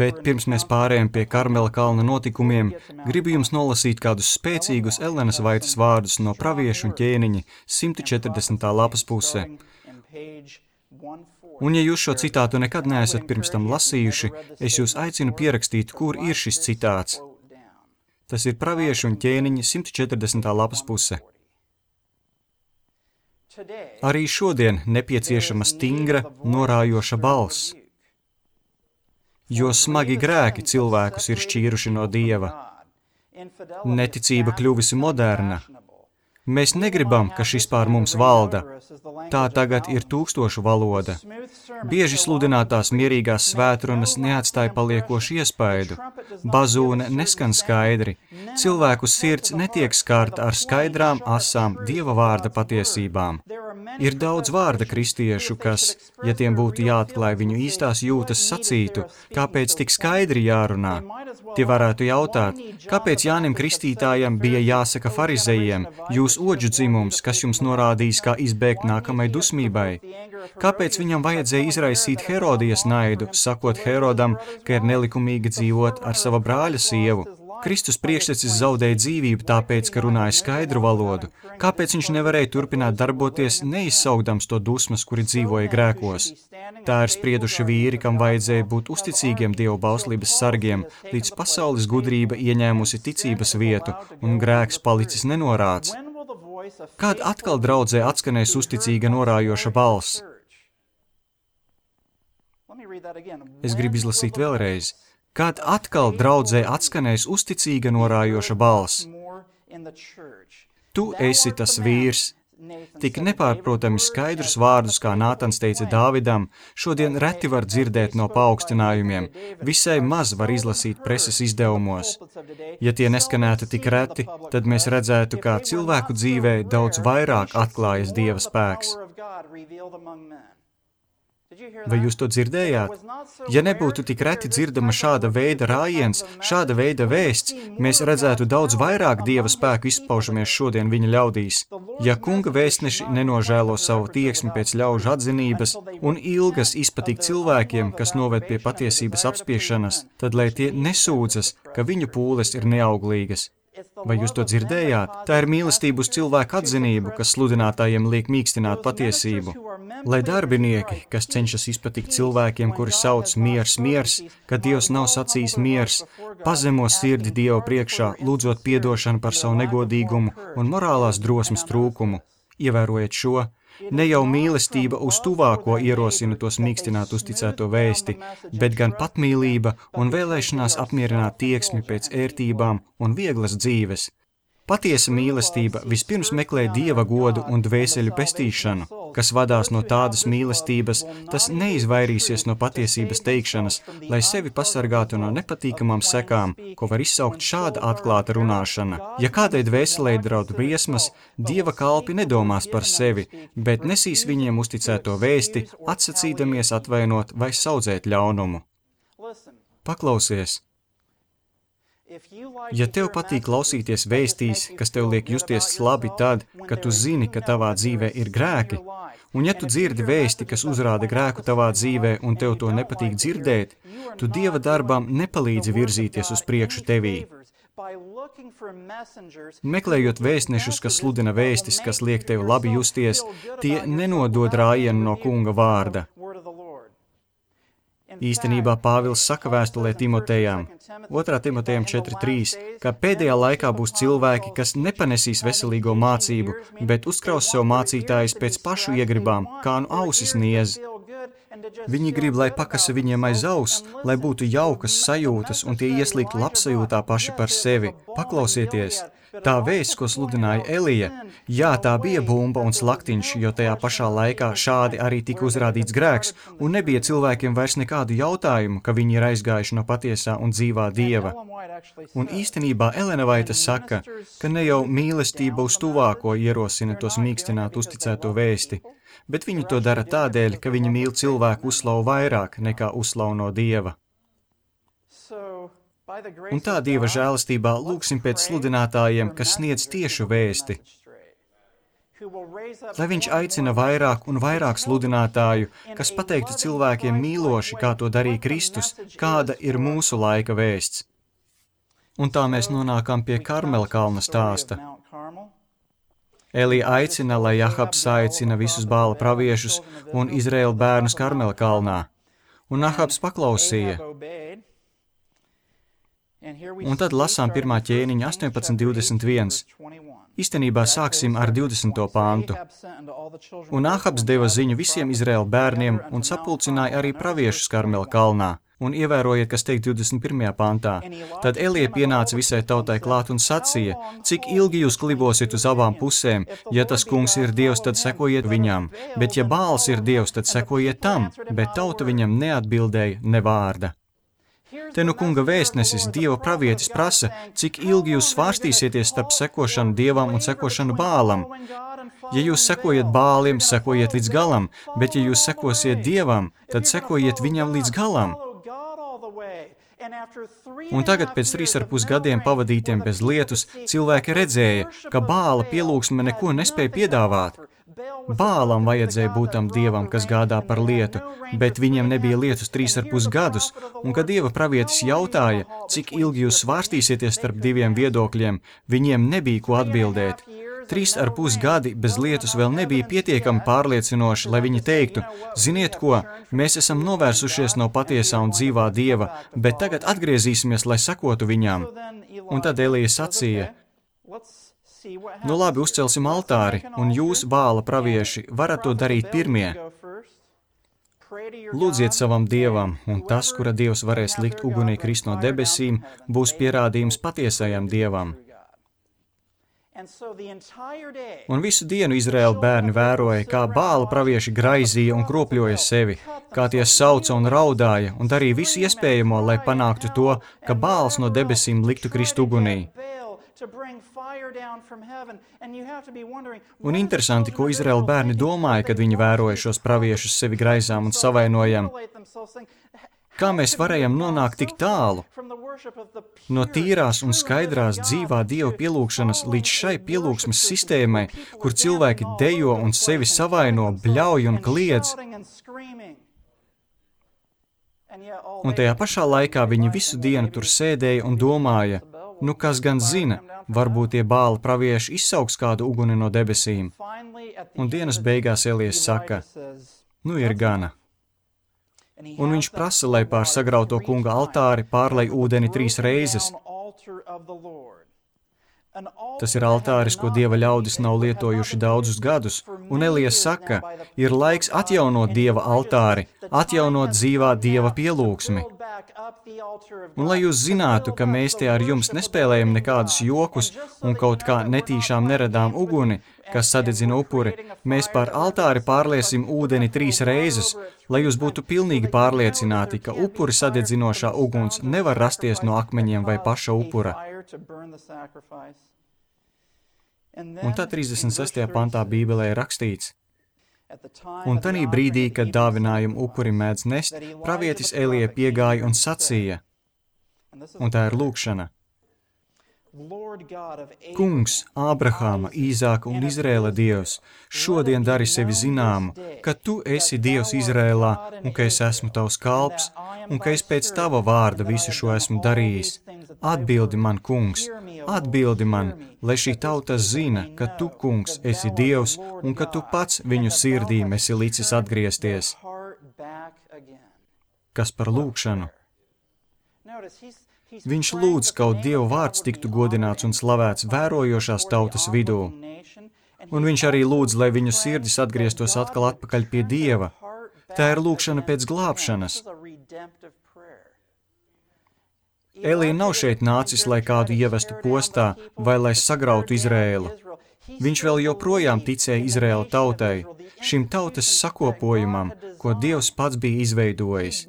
bet pirms mēs pārējām pie Karmela kalna notikumiem, gribu jums nolasīt kādus spēcīgus Elenas Vaitas vārdus no praviešu un ķēniņa 140. lapas pusē. Un ja jūs šo citātu nekad neesat pirms tam lasījuši, es jūs aicinu pierakstīt, kur ir šis citāts. Tas ir praviešu un ķēniņa 140. lapas puse. Arī šodien nepieciešama stingra, norājoša balss, jo smagi grēki cilvēkus ir šķīruši no Dieva. Neticība kļuvusi moderna. Mēs negribam, ka šis pār mums valda. Tā tagad ir tūkstošu valoda. Bieži sludinātās mierīgās svētrunas neatstāja paliekošu iespaidu. Bazūne neskan skaidri. Cilvēku sirds netiek skārta ar skaidrām, asām Dieva vārda patiesībām. Ir daudz vārda kristiešu, kas, ja tiem būtu jāatklāj viņu īstās jūtas, sacītu, kāpēc tik skaidri jārunā. Tie varētu jautāt, kāpēc Jānim Kristītājam bija jāsaka farizejiem, jūs oģu dzimums, kas jums norādīs, kā izbēgt nākamai dusmībai? Kāpēc viņam vajadzēja izraisīt Herodijas naidu, sakot Herodam, ka ir nelikumīgi dzīvot ar sava brāļa sievu? Kristus priekštecis zaudēja dzīvību tāpēc, ka runāja skaidru valodu. Kāpēc viņš nevarēja turpināt darboties, neizsaugdams to dusmas, kuri dzīvoja grēkos? Tā ir sprieduši vīri, kam vajadzēja būt uzticīgiem Dievu bauslības sargiem, līdz pasaules gudrība ieņēmusi ticības vietu un grēks palicis nenorāds. Kad atkal draudzē atskanēs uzticīga norājoša balss? Es gribu izlasīt vēlreiz. Kad atkal draudzē atskanēs uzticīga norājoša balss? Tu esi tas vīrs. Tik nepārprotami skaidrus vārdus, kā Nātans teica Dāvidam, šodien reti var dzirdēt no paaugstinājumiem, visai maz var izlasīt preses izdevumos. Ja tie neskanētu tik reti, tad mēs redzētu, kā cilvēku dzīvē daudz vairāk atklājas Dieva spēks. Vai jūs to dzirdējāt? Ja nebūtu tik reti dzirdama šāda veida rājiens, šāda veida vēsts, mēs redzētu daudz vairāk Dieva spēku izpaužamies šodien viņa ļaudīs. Ja kunga vēstneši nenožēlo savu tieksmi pēc ļaužu atzinības un ilgas izpatikt cilvēkiem, kas noved pie patiesības apspiešanas, tad lai tie nesūdzas, ka viņu pūles ir neauglīgas. Vai jūs to dzirdējāt? Tā ir mīlestība uz cilvēku atzinību, kas sludinātājiem liek mīkstināt patiesību. Lai darbinieki, kas cenšas izpatikt cilvēkiem, kuri sauc miers, kad Dievs nav sacījis miers, pazemo sirdi Dieva priekšā, lūdzot piedošanu par savu negodīgumu un morālās drosmes trūkumu. Ievērojiet šo, ne jau mīlestība uz tuvāko ierosina tos mīkstināt uzticēto vēsti, bet gan patmīlība un vēlēšanās apmierināt tieksmi pēc ērtībām un vieglas dzīves. Patiesa mīlestība vispirms meklē Dieva godu un dvēseļu pestīšanu. Kas vadās no tādas mīlestības, tas neizvairīsies no patiesības teikšanas, lai sevi pasargātu no nepatīkamām sekām, ko var izsaukt šāda atklāta runāšana. Ja kādai dvēselē draud briesmas, Dieva kalpi nedomās par sevi, bet nesīs viņiem uzticēto vēsti, atsacīdamies atvainot vai saudzēt ļaunumu. Paklausies! Ja tev patīk klausīties vēstīs, kas tev liek justies labi tad, kad tu zini, ka tavā dzīvē ir grēki, un ja tu dzirdi vēsti, kas uzrāda grēku tavā dzīvē un tev to nepatīk dzirdēt, tu Dieva darbam nepalīdzi virzīties uz priekšu tevī. Meklējot vēstnešus, kas sludina vēstis, kas liek tev labi justies, tie nenodod rājienu no kunga vārda. Īstenībā Pāvils saka vēstulē Timotejām, 2. Timotejam 4.3, ka pēdējā laikā būs cilvēki, kas nepanesīs veselīgo mācību, bet uzkraus sev mācītājus pēc pašu iegribām, kā nu ausis niez. Viņi grib, lai pakasa viņiem aiz auss, lai būtu jaukas sajūtas un tie ieslīgt labsajūtā paši par sevi. Paklausieties, tā vēsts, ko sludināja Elija, jā, tā bija bumba un slaktiņš, jo tajā pašā laikā šādi arī tika uzrādīts grēks, un nebija cilvēkiem vairs nekādu jautājumu, ka viņi ir aizgājuši no patiesā un dzīvā Dieva. Un īstenībā Elena Vaita saka, ka ne jau mīlestība uz tuvāko ierosina tos mīkstināt uzticēto vēsti, bet viņi to dara tādēļ, ka viņi mīl cilvēku uzslavu vairāk nekā uzslavu no Dieva. Un tā Dieva žēlastībā lūgsim pēc sludinātājiem, kas sniedz tiešu vēsti. Lai viņš aicina vairāk un vairāk sludinātāju, kas pateiktu cilvēkiem mīloši, kā to darīja Kristus, kāda ir mūsu laika vēsts. Un tā mēs nonākam pie Karmela kalna stāsta. Elija aicina, lai Ahabs aicina visus Bāla praviešus un Izraēla bērnus Karmela kalnā. Un Ahabs paklausīja. Un tad lasām 1. ķēniņa 18:21. Īstenībā sāksim ar 20. pāntu. Un Ahabs deva ziņu visiem Izraēla bērniem un sapulcināja arī praviešus Karmela kalnā. Un ievērojiet, kas teikt 21. pantā. Tad Elija pienāca visai tautai klāt un sacīja, cik ilgi jūs klibosiet uz abām pusēm, ja tas kungs ir Dievs, tad sekojiet viņam, bet ja Bāls ir Dievs, tad sekojiet tam, bet tauta viņam neatbildēja ne vārda. Te nu kunga vēstnesis, Dieva pravietis prasa, cik ilgi jūs svārstīsieties starp sekošanu Dievam un sekošanu Bālam. Ja jūs sekojat Bālim, sekojiet līdz galam, bet ja jūs sekosiet Dievam, tad sekojiet viņam līdz galam. Un tagad pēc 3,5 gadiem pavadītiem bez lietus, cilvēki redzēja, ka Bāla pielūgsme neko nespēja piedāvāt. Bālam vajadzēja būt tam dievam, kas gādā par lietu, bet viņiem nebija lietus 3,5 gadus, un kad Dieva pravietis jautāja, cik ilgi jūs svārstīsieties starp diviem viedokļiem, viņiem nebija ko atbildēt. 3,5 gadi bez lietus vēl nebija pietiekami pārliecinoši, lai viņi teiktu, ziniet ko, mēs esam novērsušies no patiesā un dzīvā Dieva, bet tagad atgriezīsimies, lai sekotu viņām. Un tad Elija sacīja, nu labi, uzcelsim altāri, un jūs, Bāla pravieši, varat to darīt pirmie. Lūdziet savam Dievam, un tas, kura Dievs varēs likt ugunī krist no debesīm, būs pierādījums patiesajam Dievam. Un visu dienu Izraēla bērni vēroja, kā Bāla pravieši graizīja un kropļoja sevi, kā tie sauca un raudāja un darīja visu iespējamo, lai panāktu to, ka Bāls no debesīm liktu krist ugunī. Un interesanti, ko Izraēla bērni domāja, kad viņi vēroja šos praviešus sevi graizām un savainojam. Kā mēs varējam nonākt tik tālu? No tīrās un skaidrās dzīvā Dieva pielūgšanas līdz šai pielūgsmes sistēmai, kur cilvēki dejo un sevi savaino, bļauj un kliedz. Un tajā pašā laikā viņi visu dienu tur sēdēja un domāja, nu kas gan zina, varbūt tie Bāla pravieši izsauks kādu uguni no debesīm. Un dienas beigās Elijas saka, nu ir gana. Un viņš prasa, lai pār sagrauto kunga altāri pārlej ūdeni 3 reizes. Tas ir altāris, ko Dieva ļaudis nav lietojuši daudzus gadus, un Elijas saka, ir laiks atjaunot Dieva altāri, atjaunot dzīvā Dieva pielūgsmi. Un lai jūs zinātu, ka mēs te ar jums nespēlējam nekādus jokus un kaut kā netīšām neradām uguni, kas sadedzina upuri, mēs pār altāri pārliesim ūdeni 3 reizes, lai jūs būtu pilnīgi pārliecināti, ka upuri sadedzinošā uguns nevar rasties no akmeņiem vai paša upura. Un tad 36. pantā Bībelē ir rakstīts, un tanī brīdī, kad dāvinājumu upuri mēdz nest, pravietis Elija piegāja un sacīja, un tā ir lūgšana. Kungs, Ābrahāma, Īzāka un Izrēla Dievs, šodien dari sevi zināmu, ka tu esi Dievs Izrēlā un ka es esmu tavs kalps un ka es pēc tava vārda visu šo esmu darījis. Atbildi man, Kungs, atbildi man, lai šī tauta zina, ka tu, Kungs, esi Dievs un ka tu pats viņu sirdīm esi licis atgriezties. Kas par lūgšanu? Viņš lūdz, kaut Dieva vārds tiktu godināts un slavēts vērojošās tautas vidū. Un viņš arī lūdz, lai viņu sirdis atgrieztos atkal atpakaļ pie Dieva. Tā ir lūkšana pēc glābšanas. Elija nav šeit nācis, lai kādu ievestu postā vai lai sagrautu Izrēlu. Viņš vēl joprojām ticēja Izrēla tautai, šim tautas sakopojumam, ko Dievs pats bija izveidojis.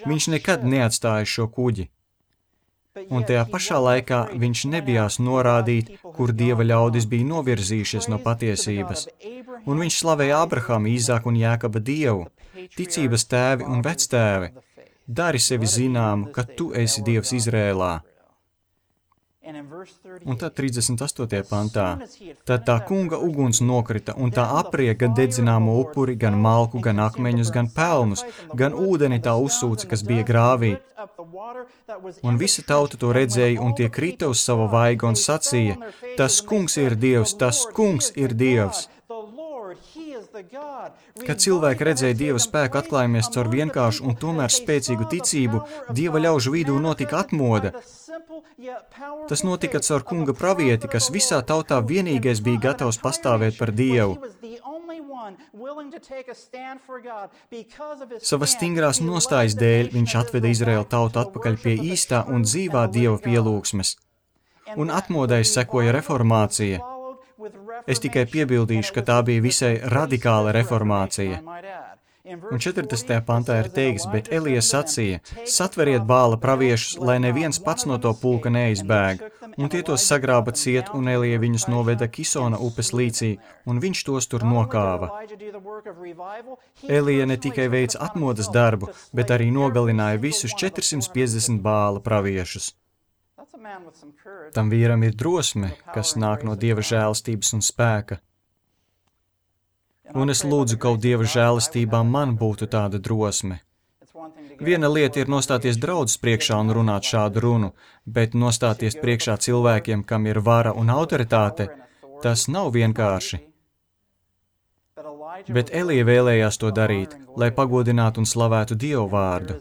Viņš nekad neatstāja šo kuģi. Un tajā pašā laikā viņš nebijās norādīt, kur Dieva ļaudis bija novirzījušies no patiesības. Un viņš slavēja Abrahamu, Īzāku un Jākaba Dievu, ticības tēvi un vectēvi. Dari sevi zināmu, ka tu esi Dievs Izrēlā. Un tad 38. pantā. Tad tā kunga uguns nokrita, un tā aprija gan dedzināmo upuri, gan malku, gan akmeņus, gan pelnus, gan ūdeni tā uzsūca, kas bija grāvī. Un visa tauta to redzēja, un tie krita uz sava vaiga un sacīja, tas kungs ir Dievs, tas kungs ir Dievs. Kad cilvēki redzēja Dieva spēku atklājumies caur vienkāršu un tomēr spēcīgu ticību, Dieva ļaužu vidū notika atmoda. Tas notika caur kunga pravieti, kas visā tautā vienīgais bija gatavs pastāvēt par Dievu. Savas stingrās nostājas dēļ viņš atveda Izraēlu tautu atpakaļ pie īstā un dzīvā Dieva pielūgsmes. Un atmodai sekoja reformācija. Es tikai piebildīšu, ka tā bija visai radikāla reformācija. Un 40. pantā ir teikts, bet Elija sacīja, satveriet Bāla praviešus, lai neviens pats no to pulka neizbēg. Un tie tos sagrāba ciet, un Elija viņus noveda Kisona upes līcī, un viņš tos tur nokāva. Elija ne tikai veica atmodas darbu, bet arī nogalināja visus 450 Bāla praviešus. Tam vīram ir drosme, kas nāk no Dieva žēlastības un spēka. Un es lūdzu, ka Dieva žēlastībā man būtu tāda drosme. Viena lieta ir nostāties draudzes priekšā un runāt šādu runu, bet nostāties priekšā cilvēkiem, kam ir vara un autoritāte, tas nav vienkārši. Bet Elija vēlējās to darīt, lai pagodinātu un slavētu Dievu vārdu.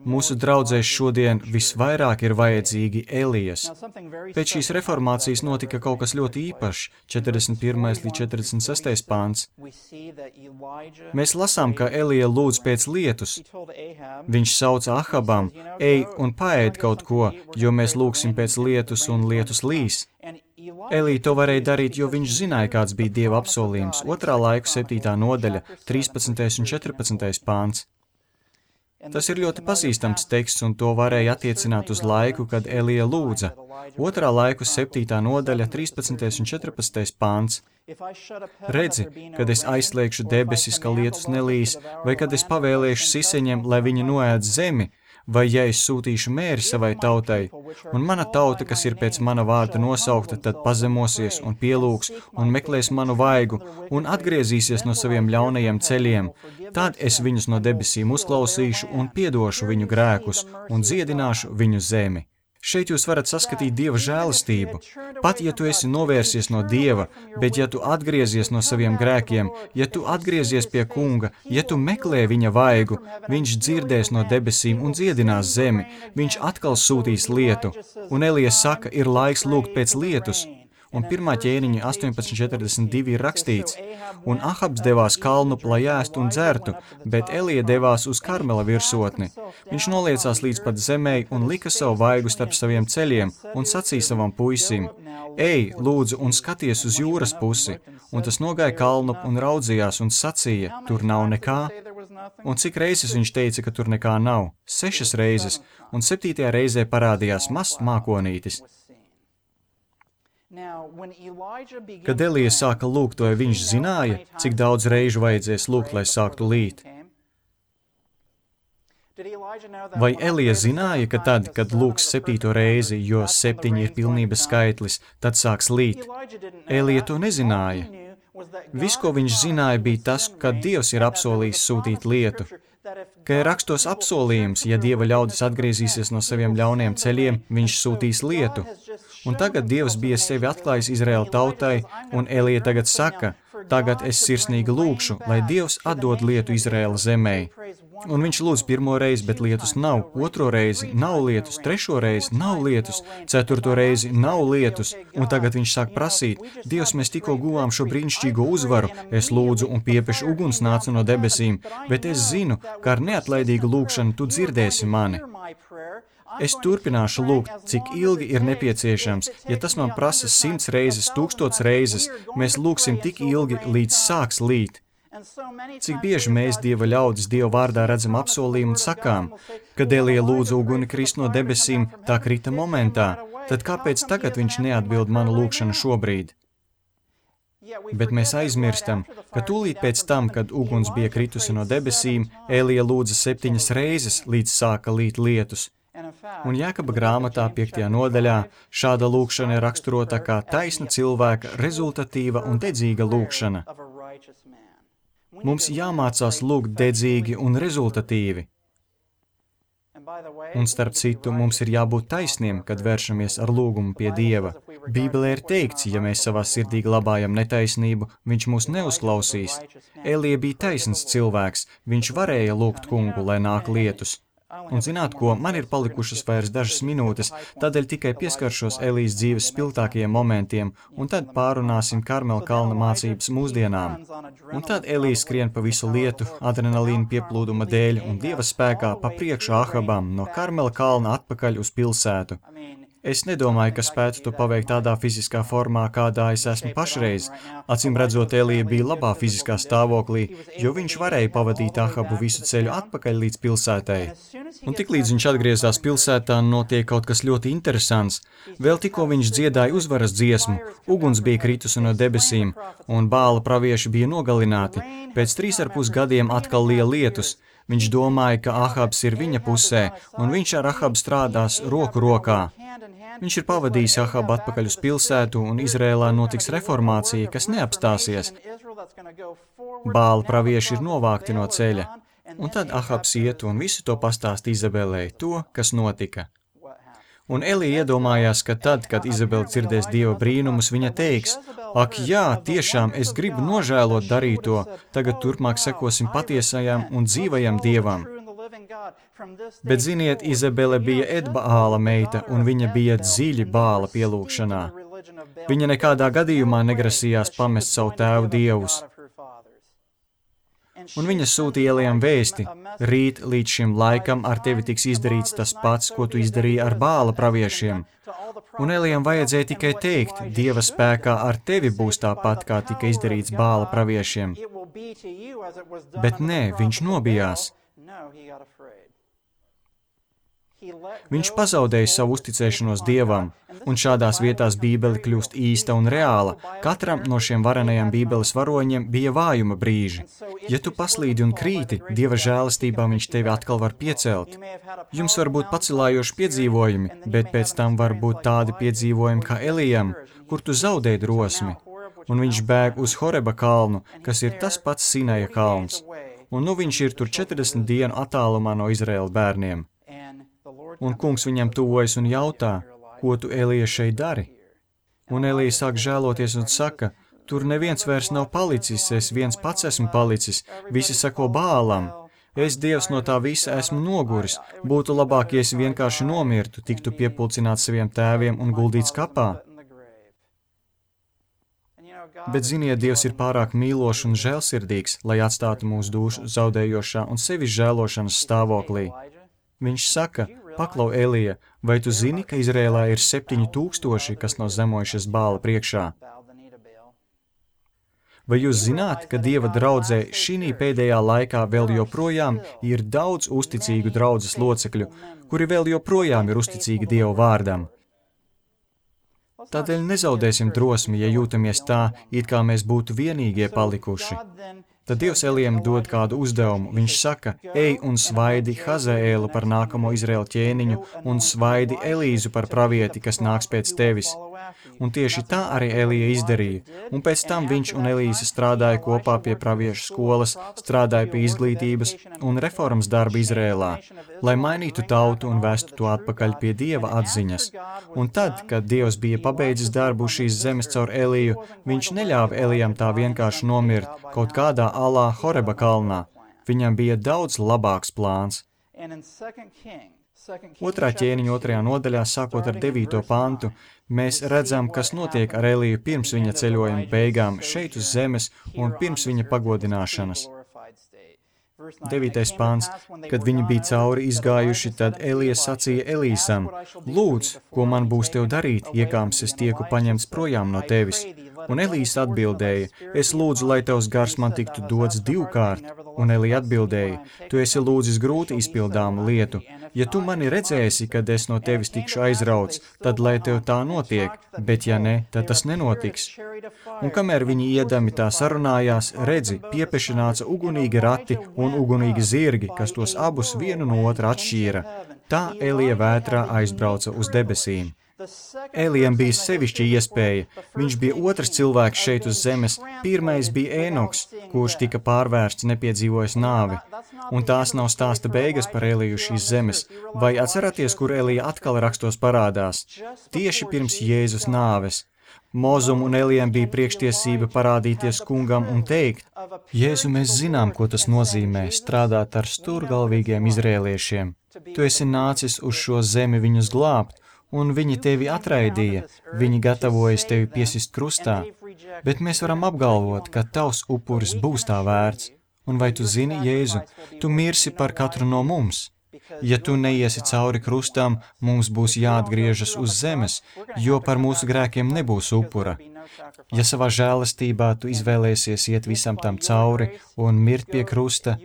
Mūsu draudzēs šodien visvairāk ir vajadzīgi Elijas. Pēc šīs reformācijas notika kaut kas ļoti īpašs, 41. līdz 46. pāns. Mēs lasām, ka Elija lūdz pēc lietus. Viņš sauca Ahabam, ej un paēd kaut ko, jo mēs lūgsim pēc lietus un lietus līs. Elija to varēja darīt, jo viņš zināja, kāds bija Dieva apsolījums. 2. laiku 7. nodaļa, 13. un 14. pāns. Tas ir ļoti pazīstams teksts, un to varēja attiecināt uz laiku, kad Elija lūdza. 2. laiku 7. nodaļa, 13. un 14. pāns. Redzi, kad es aizslēgšu debesis, ka lietus nelīs, vai kad es pavēlēšu siseņiem, lai viņi noēd zemi, vai ja es sūtīšu mēri savai tautai, un mana tauta, kas ir pēc mana vārda nosaukta, tad pazemosies un pielūgs un meklēs manu vaigu un atgriezīsies no saviem ļaunajiem ceļiem, tad es viņus no debesīm uzklausīšu un piedošu viņu grēkus un dziedināšu viņu zemi. Šeit jūs varat saskatīt Dieva žēlastību. Pat, ja tu esi novērsies no Dieva, bet ja tu atgriezies no saviem grēkiem, ja tu atgriezies pie kunga, ja tu meklē viņa vaigu, viņš dzirdēs no debesīm un dziedinās zemi, viņš atkal sūtīs lietu. Un Elija saka, ir laiks lūgt pēc lietus. Un 1. ķēniņa 18.42 ir rakstīts, un Ahabs devās kalnup, lai ēstu un dzertu, bet Elija devās uz Karmela virsotni. Viņš noliecās līdz pat zemei un lika savu vaigu starp saviem ceļiem un sacīja savam puisim, ej, lūdzu, un skaties uz jūras pusi. Un tas nogāja kalnup un raudzījās un sacīja, tur nav nekā. Un cik reizes viņš teica, ka tur nekā nav? 6 reizes, un 7. reizē parādījās mazs mākonītis. Kad Elija sāka lūgt, vai viņš zināja, cik daudz reižu vajadzēs lūgt, lai sāktu līt? Vai Elija zināja, ka tad, kad lūgs 7. reizi, jo 7 ir pilnības skaitlis, tad sāks līt? Elija to nezināja. Viss, ko viņš zināja, bija tas, ka Dievs ir apsolījis sūtīt lietu. Ka ir rakstos apsolījums, ja Dieva ļaudis atgriezīsies no saviem ļauniem ceļiem, viņš sūtīs lietu. Un tagad Dievs bija sevi atklājis Izraēla tautai, un Elija tagad saka, tagad es sirsnīgi lūgšu, lai Dievs atdod lietu Izraēla zemē. Un viņš lūdz pirmo reizi, bet lietus nav, otro reizi nav lietus, trešo reizi nav lietus, ceturto reizi nav lietus, un tagad viņš sāk prasīt, Dievs, mēs tikko guvām šo brīnišķīgo uzvaru, es lūdzu un piepešu uguns nāca no debesīm, bet es zinu, ka ar neatlaidīgu lūgšanu tu dzirdēsi mani. Es turpināšu lūgt, cik ilgi ir nepieciešams. Ja tas man prasa 100 reizes, 1000 reizes, mēs lūgsim tik ilgi, līdz sāks līt. Cik bieži mēs Dieva ļaudis Dieva vārdā redzam apsolījumu un sakām, kad Elija lūdza uguni krist no debesīm, tā krita momentā, tad kāpēc tagad viņš neatbild manu lūgšanu šobrīd? Bet mēs aizmirstam, ka tūlīt pēc tam, kad uguns bija kritusi no debesīm, Elija lūdza 7 reizes, līdz sāka līt lietus. Un Jākaba grāmatā 5. nodaļā šāda lūgšana ir raksturota kā taisna cilvēka, rezultatīva un dedzīga lūgšana. Mums jāmācās lūgt dedzīgi un rezultatīvi. Un starp citu, mums ir jābūt taisniem, kad vēršamies ar lūgumu pie Dieva. Bībelē ir teikts, ja mēs savā sirdī glabājam netaisnību, viņš mūs neuzklausīs. Elija bija taisns cilvēks, viņš varēja lūgt kungu, lai nāk lietus. Un zināt ko, man ir palikušas vairs dažas minūtes, tādēļ tikai pieskaršos Elijas dzīves spilgtākajiem momentiem, un tad pārunāsim Karmela kalna mācības mūsdienām. Un tad Elija skrien pa visu lietu, adrenalīna pieplūduma dēļ un Dieva spēkā pa priekšu Ahabam no Karmela kalna atpakaļ uz pilsētu. Es nedomāju, ka spētu to paveikt tādā fiziskā formā, kādā es esmu pašreiz. Acīm redzot, Elija bija labā fiziskā stāvoklī, jo viņš varēja pavadīt Ahabu visu ceļu atpakaļ līdz pilsētai. Un tiklīdz viņš atgriezās pilsētā, notiek kaut kas ļoti interesants. Vēl tikko viņš dziedāja uzvaras dziesmu, uguns bija kritusi no debesīm, un Bāla pravieši bija nogalināti. Pēc 3,5 gadiem atkal liela lietus. Viņš domāja, ka Ahabs ir viņa pusē, un viņš ar Ahabu strādās roku rokā. Viņš ir pavadījis Ahabu atpakaļ uz pilsētu, un Izrēlā notiks reformācija, kas neapstāsies. Bāla pravieši ir novākti no ceļa, un tad Ahabs iet un visu to pastāst Izabelei, to, kas notika. Un Elija iedomājās, ka tad, kad Izabela dzirdēs Dieva brīnumus, viņa teiks, ak jā, tiešām es gribu nožēlot darīto, tagad turpmāk sekosim patiesajam un dzīvajam Dievam. Bet ziniet, Izabele bija Edbaāla meita, un viņa bija dziļi Bāla pielūgšanā. Viņa nekādā gadījumā negrasījās pamest savu tēvu dievus. Un viņa sūtīja Elijam vēsti, rīt līdz šim laikam ar tevi tiks izdarīts tas pats, ko tu izdarīji ar Bāla praviešiem. Un Elijam vajadzēja tikai teikt, Dieva spēkā ar tevi būs tāpat, kā tika izdarīts Bāla praviešiem. Bet nē, viņš nobijās. Viņš pazaudēja savu uzticēšanos Dievam, un šādās vietās Bībele kļūst īsta un reāla. Katram no šiem varenajiem Bībeles varoņiem bija vājuma brīži. Ja tu paslīdi un krīti, Dieva žēlastībā viņš tevi atkal var piecelt. Jums var būt pacelājoši piedzīvojumi, bet pēc tam var būt tādi piedzīvojumi kā Elijam, kur tu zaudē drosmi. Un viņš bēg uz Horeba kalnu, kas ir tas pats Sinaja kalns. Un nu viņš ir tur 40 dienu attālumā no Izraēla bērniem. Un kungs viņam tuvojas un jautā, ko tu, Elija, šeit dari? Un Elija sāk žēloties un saka, tur neviens vairs nav palicis, es viens pats esmu palicis, visi sako Bālam. Es, Dievs, no tā visa esmu noguris, būtu labāk, ja es vienkārši nomirtu, tiktu piepulcināts saviem tēviem un guldīts kapā. Bet ziniet, Dievs ir pārāk mīlošs un žēlsirdīgs, lai atstātu mūsu dušu zaudējošā un sevis žēlošanas stāvoklī. Viņš saka, paklau Elija, vai tu zini, ka Izrēlā ir 7000, kas nav zemojušies Bāla priekšā? Vai jūs zināt, ka Dieva draudzē šī pēdējā laikā vēl joprojām ir daudz uzticīgu draudzes locekļu, kuri vēl joprojām ir uzticīgi Dieva vārdam? Tādēļ nezaudēsim drosmi, ja jūtamies tā, it kā mēs būtu vienīgie palikuši. Tad Dievs Elijam dod kādu uzdevumu. Viņš saka, ej un svaidi Hazaēlu par nākamo Izraēla ķēniņu un svaidi Elīzu par pravieti, kas nāks pēc tevis. Un tieši tā arī Elija izdarīja. Un pēc tam viņš un Elīza strādāja kopā pie praviešu skolas, strādāja pie izglītības un reformas darba Izrēlā, lai mainītu tautu un vestu to atpakaļ pie Dieva atziņas. Un tad, kad Dievs bija pabeidzis darbu šīs zemes caur Eliju, viņš neļāva Elijam tā vienkārši nomirt kaut kādā alā Horeba kalnā. Viņam bija daudz labāks plāns. Otrā ķēniņa 2. nodaļā, sākot ar 9. pantu, mēs redzam, kas notiek ar Eliju pirms viņa ceļojuma beigām šeit uz zemes un pirms viņa pagodināšanas. 9. pāns. Kad viņi bija cauri izgājuši, tad Elija sacīja Elīsam: Lūdz, ko man būs tev darīt, iekāms es tieku paņemts projām no tevis. Un Elīs atbildēja: Es lūdzu, lai tavs gars man tiktu dots 2 kārt. Un Elija atbildēja: Tu esi lūdzis grūti izpildāmu lietu. Ja tu mani redzēsi, kad es no tevis tikšu aizrauts, tad lai tev tā notiek, bet ja ne, tad tas nenotiks. Un kamēr viņi iedami tā sarunājās, redzi, piepeši nāca ugunīgi rati un ugunīgi zirgi, kas tos abus vienu no otra atšķīra. Tā Elija vētrā aizbrauca uz debesīm. Elijam bija sevišķa iespēja. Viņš bija otrs cilvēks šeit uz zemes. Pirmais bija Ēnoks, kurš tika pārvērsts, nepiedzīvojis nāvi. Un tās nav stāsta beigas par Eliju šīs zemes. Vai atceraties, kur Elija atkal rakstos parādās? Tieši pirms Jēzus nāves. Mozum un Elijam bija priekštiesība parādīties kungam un teikt: Jēzu, mēs zinām, ko tas nozīmē strādāt ar stūrgalvīgiem izrēliešiem. Tu esi nācis uz šo zemi viņus glābt, un viņi tevi atraidīja, viņi gatavojas tevi piesist krustā, bet mēs varam apgalvot, ka tavs upuris būs tā vērts. Un vai tu zini, Jēzu, tu mirsi par katru no mums? Ja tu neiesi cauri krustam, mums būs jāatgriežas uz zemes, jo par mūsu grēkiem nebūs upura. Ja savā žēlastībā tu izvēlēsies iet visam tam cauri un mirt pie krusta,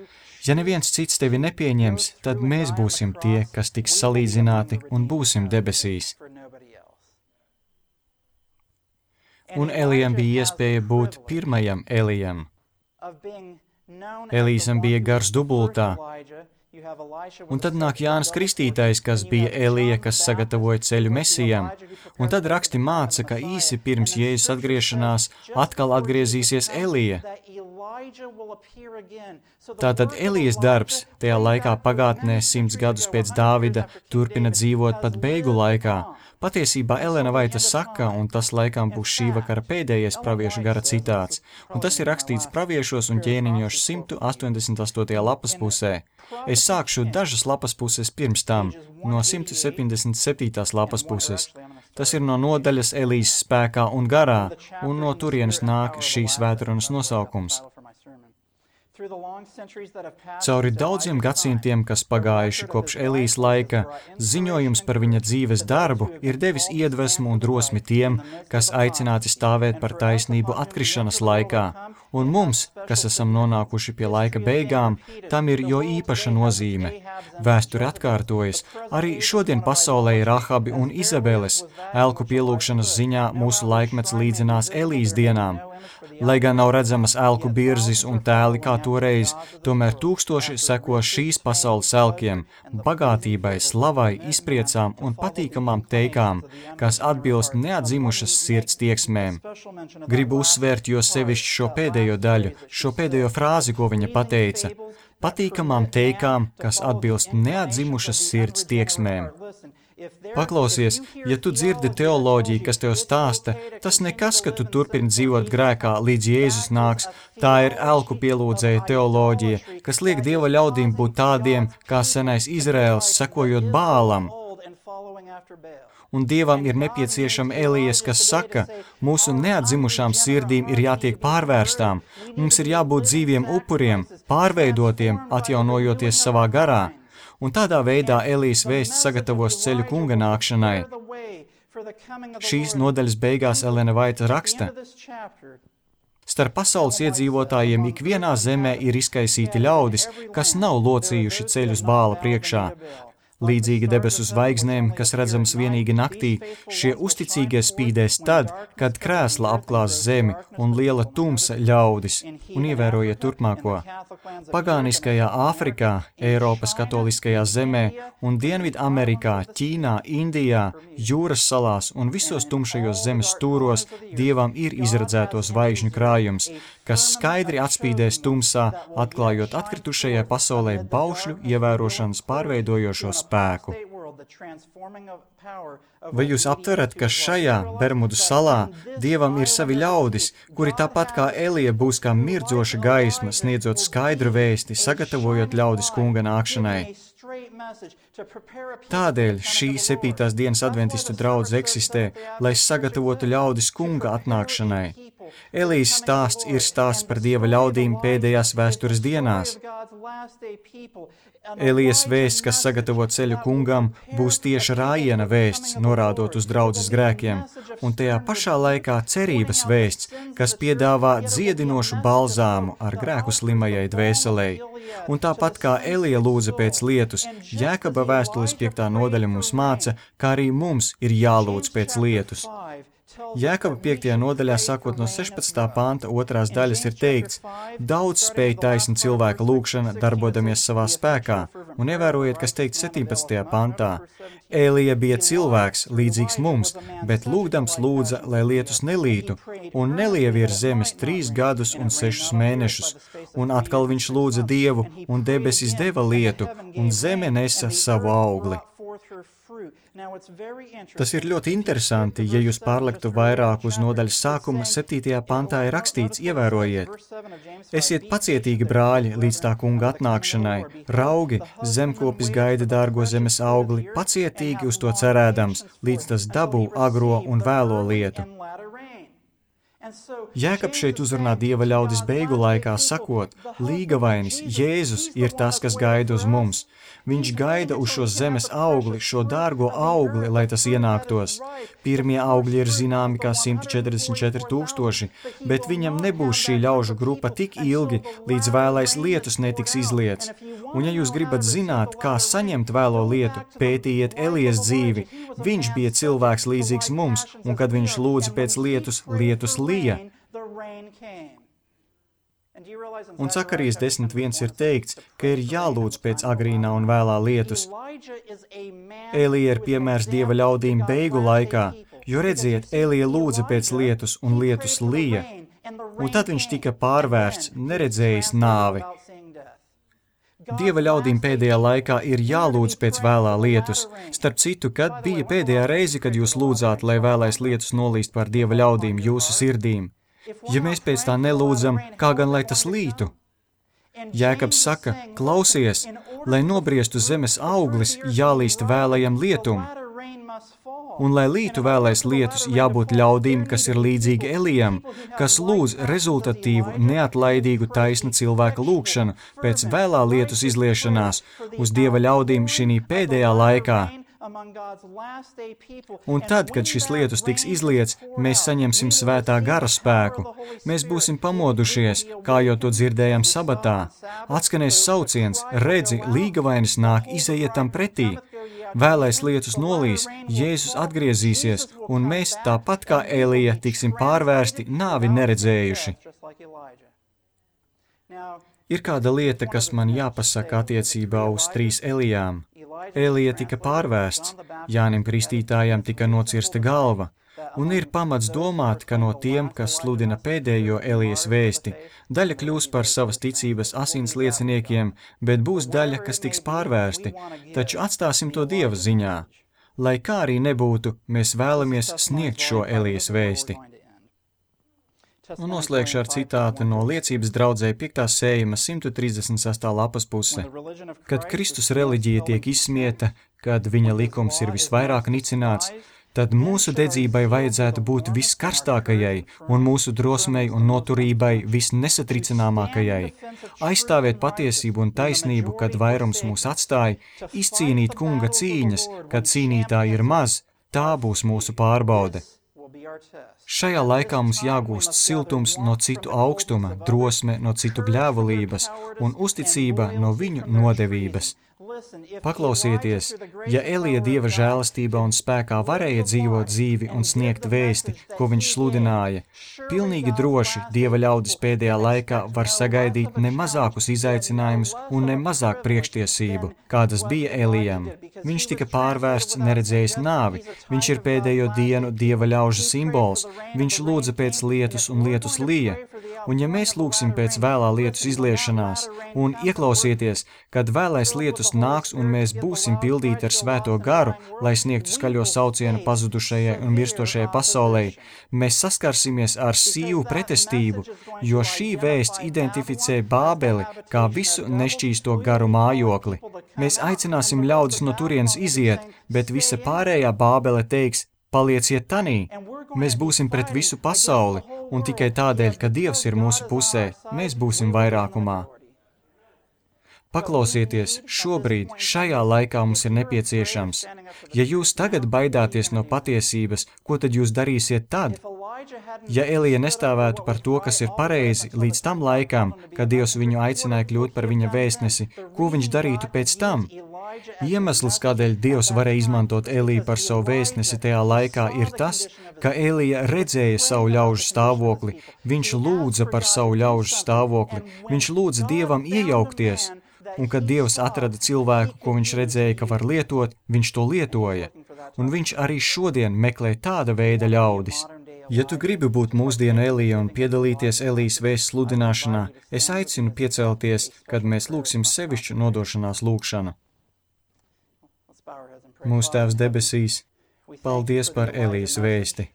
ja neviens cits tevi nepieņems, tad mēs būsim tie, kas tiks salīdzināti un būsim debesīs. Un Elijam bija iespēja būt pirmajam Elijam. Elīsam bija gars dubultā. Un tad nāk Jānis Kristītājs, kas bija Elija, kas sagatavoja ceļu Mesijam. Un tad raksti māca, ka īsi pirms Jēzus atgriešanās atkal atgriezīsies Elija. Tātad Elijas darbs tajā laikā pagātnē 100 gadus pēc Dāvida turpina dzīvot pat beigu laikā. Patiesībā Elena Vaita saka, un tas laikam būs šī vakara pēdējais praviešu gara citāts, un tas ir rakstīts praviešos un ķēniņos 188. lapas pusē. Es sākšu dažas lapas puses pirms tam, no 177. lapas puses. Tas ir no nodaļas Elijas spēkā un garā, un no turienes nāk šīs svētrunas nosaukums. Cauri daudziem gadsimtiem, kas pagājuši kopš Elijas laika, ziņojums par viņa dzīves darbu ir devis iedvesmu un drosmi tiem, kas aicināti stāvēt par taisnību atkrišanas laikā. Un mums, kas esam nonākuši pie laika beigām, tam ir jo īpaša nozīme. Vēsture atkārtojas. Arī šodien pasaulē ir Rahabi un Izabeles. Elku pielūgšanas ziņā mūsu laikmets līdzinās Elijas dienām. Lai gan nav redzamas elku birzis un tēli kā toreiz, tomēr tūkstoši seko šīs pasaules elkiem, bagātībai, slavai, izpriecām un patīkamām teikām, kas atbilst neatzimušas sirds tieksmēm. Gribu uzsvērt jo sevišķi šo pēdējo daļu, šo pēdējo frāzi, ko viņa pateica. Patīkamām teikām, kas atbilst neatzimušas sirds tieksmēm. Paklausies, ja tu dzirdi teoloģiju, kas tev stāsta, tas nekas, ka tu turpini dzīvot grēkā, līdz Jēzus nāks. Tā ir elku pielūdzēja teoloģija, kas liek Dieva ļaudīm būt tādiem, kā senais Izraels, sekojot Bālam. Un Dievam ir nepieciešama Elijas, kas saka, mūsu neatzimušām sirdīm ir jātiek pārvērstām, mums ir jābūt dzīviem upuriem, pārveidotiem, atjaunojoties savā garā. Un tādā veidā Elijas vēsts sagatavos ceļu kunga nākšanai. Šīs nodaļas beigās Elena Vaita raksta: Starp pasaules iedzīvotājiem ikvienā zemē ir izkaisīti ļaudis, kas nav locījuši ceļus Bāla priekšā. Līdzīgi debesu zvaigznēm, kas redzams vienīgi naktī, šie uzticīgie spīdēs tad, kad krēsla apklās zemi un liela tumsa ļaudis, un ievērojiet turpmāko. Pagāniskajā Āfrikā, Eiropas katoliskajā zemē un Dienvidu Amerikā, Ķīnā, Indijā, jūras salās un visos tumšajos zemes stūros Dievam ir izredzēto zvaigžņu krājums, kas skaidri atspīdēs tumsā, atklājot atkritušajai pasaulē baušļu ievērošanas pārveidojošo spēku. Vai jūs aptverat, ka šajā Bermudu salā Dievam ir savi ļaudis, kuri tāpat kā Elija būs kā mirdzoša gaisma, sniedzot skaidru vēsti, sagatavojot ļaudis kunga nākšanai? Tādēļ šī 7. dienas adventistu draudze eksistē, lai sagatavotu ļaudis kunga atnākšanai. Elijas stāsts ir stāsts par Dieva ļaudīm pēdējās vēstures dienās. Elijas vēsts, kas sagatavo ceļu kungam, būs tieši rājiena vēsts, norādot uz draudzes grēkiem, un tajā pašā laikā cerības vēsts, kas piedāvā dziedinošu balzāmu ar grēku slimajai dvēselei. Un tāpat kā Elija lūdza pēc lietus, Jēkaba vēstules 5. nodaļa mums māca, kā arī mums ir jālūdz pēc lietus. Jēkaba 5. nodaļā, sākot no 16. panta 2. daļas, ir teikts: daudz spēj taisna cilvēka lūgšana, darbodamies savā spēkā, un ievērojiet, kas teikts 17. pantā. Elija bija cilvēks, līdzīgs mums, bet lūgdams lūdza, lai lietus nelītu, un nelija virs zemes 3 gadus un 6 mēnešus, un atkal viņš lūdza Dievu, un debesis deva lietu, un zeme nesa savu augli. Tas ir ļoti interesanti, ja jūs pārlektu vairāk uz nodaļas sākuma, 7. pantā ir rakstīts, ievērojiet: esiet pacietīgi, brāļi, līdz tā kunga atnākšanai, raugi, zemkopis gaida dārgo zemes augli, pacietīgi uz to cerēdams, līdz tas dabū agro un vēlo lietu. Jēkabs šeit uzrunā Dieva ļaudis beigu laikā, sakot: līgavainis, Jēzus ir tas, kas gaida uz mums. Viņš gaida uz šo zemes augli, šo dārgo augli, lai tas ienāktos. Pirmie augļi ir zināmi kā 144 000, bet viņam nebūs šī ļaužu grupa tik ilgi, līdz vēlais lietus netiks izliets. Un ja jūs gribat zināt, kā saņemt vēlo lietu, pētījiet Elijas dzīvi. Viņš bija cilvēks līdzīgs mums, un kad viņš lūdza pēc lietus, lietus lija. Un Zakarijas 10.1 ir teikts, ka ir jālūdz pēc agrīnā un vēlā lietus. Elija ir piemērs Dieva ļaudīm beigu laikā, jo redziet, Elija lūdza pēc lietus un lietus lija, un tad viņš tika pārvērsts, neredzējis nāvi. Dieva ļaudīm pēdējā laikā ir jālūdz pēc vēlā lietus. Starp citu, kad bija pēdējā reize, kad jūs lūdzāt, lai vēlais lietus nolīst pār Dieva ļaudīm jūsu sirdīm? Ja mēs pēc tā nelūdzam, kā gan lai tas lītu? Jēkabs saka: klausies, lai nobriestu zemes auglis, jālīst vēlajam lietum. Un lai lītu vēlais lietus, jābūt ļaudīm, kas ir līdzīgi Elijam, kas lūdz rezultatīvu, neatlaidīgu taisna cilvēka lūgšanu pēc vēlā lietus izliešanās uz Dieva ļaudīm šī pēdējā laikā. Un tad, kad šis lietus tiks izliets, mēs saņemsim svētā gara spēku. Mēs būsim pamodušies, kā jau to dzirdējām sabatā. Atskanēs sauciens: redzi, līgavainis nāk, izejiet tam pretī. Vēlais lietus nolīs, Jēzus atgriezīsies, un mēs, tāpat kā Elija, tiksim pārvērsti, nāvi neredzējuši. Ir kāda lieta, kas man jāpasaka attiecībā uz 3 Elijām. Elija tika pārvērsts, Jānim Kristītājam tika nocirsta galva, un ir pamats domāt, ka no tiem, kas sludina pēdējo Elijas vēsti, daļa kļūs par savas ticības asins lieciniekiem, bet būs daļa, kas tiks pārvērsti, taču atstāsim to Dieva ziņā. Lai kā arī nebūtu, mēs vēlamies sniegt šo Elijas vēsti. Un noslēgšu ar citātu no liecības draudzē 5. sējuma 136. lapas puse. Kad Kristus reliģija tiek izsmieta, kad viņa likums ir visvairāk nicināts, tad mūsu dedzībai vajadzētu būt viskarstākajai un mūsu drosmei un noturībai visnesatricināmākajai. Aizstāvēt patiesību un taisnību, kad vairums mūs atstāja, izcīnīt kunga cīņas, kad cīnītāji ir maz, tā būs mūsu pārbaude. Šajā laikā mums jāgūst siltums no citu augstuma, drosme no citu bļāvulības un uzticība no viņu nodevības. Paklausieties, ja Elija Dieva žēlastībā un spēkā varēja dzīvot dzīvi un sniegt vēsti, ko viņš sludināja, pilnīgi droši Dieva ļaudis pēdējā laikā var sagaidīt ne mazākus izaicinājumus un ne mazāk priekštiesību, kādas bija Elijam. Viņš tika pārvērsts, neredzējis nāvi, viņš ir pēdējo dienu Dieva ļaužu simbols, viņš lūdza pēc lietus un lietus lija. Un ja mēs lūgsim pēc vēlā lietus izliešanās un ieklausieties, kad vēlais lietus Kristus nāks un mēs būsim pildīti ar svēto garu, lai sniegtu skaļo saucienu pazudušajai un mirstošajai pasaulē, mēs saskarsimies ar sīvu pretestību, jo šī vēsts identificē Bābeli kā visu nešķīsto garu mājokli. Mēs aicināsim ļaudis no turienes iziet, bet visa pārējā Bābele teiks: palieciet tanī, mēs būsim pret visu pasauli, un tikai tādēļ, ka Dievs ir mūsu pusē, mēs būsim vairākumā. Paklausieties, šobrīd, šajā laikā mums ir nepieciešams. Ja jūs tagad baidāties no patiesības, ko tad jūs darīsiet tad? Ja Elija nestāvētu par to, kas ir pareizi, līdz tam laikam, kad Dievs viņu aicināja kļūt par viņa vēstnesi, ko viņš darītu pēc tam? Iemesls, kādēļ Dievs varēja izmantot Eliju par savu vēstnesi tajā laikā, ir tas, ka Elija redzēja savu ļaužu stāvokli, viņš lūdza par savu ļaužu stāvokli, viņš lūdza Dievam iejaukties, un kad Dievs atrada cilvēku, ko viņš redzēja, ka var lietot, viņš to lietoja, un viņš arī šodien meklē tāda veida ļaudis. Ja tu gribi būt mūsdienu Elija un piedalīties Elijas vēsts sludināšanā, es aicinu piecelties, kad mēs lūgsim sevišķu nodošanās lūgšanu. Mūsu Tēvs debesīs, paldies par Elijas vēsti.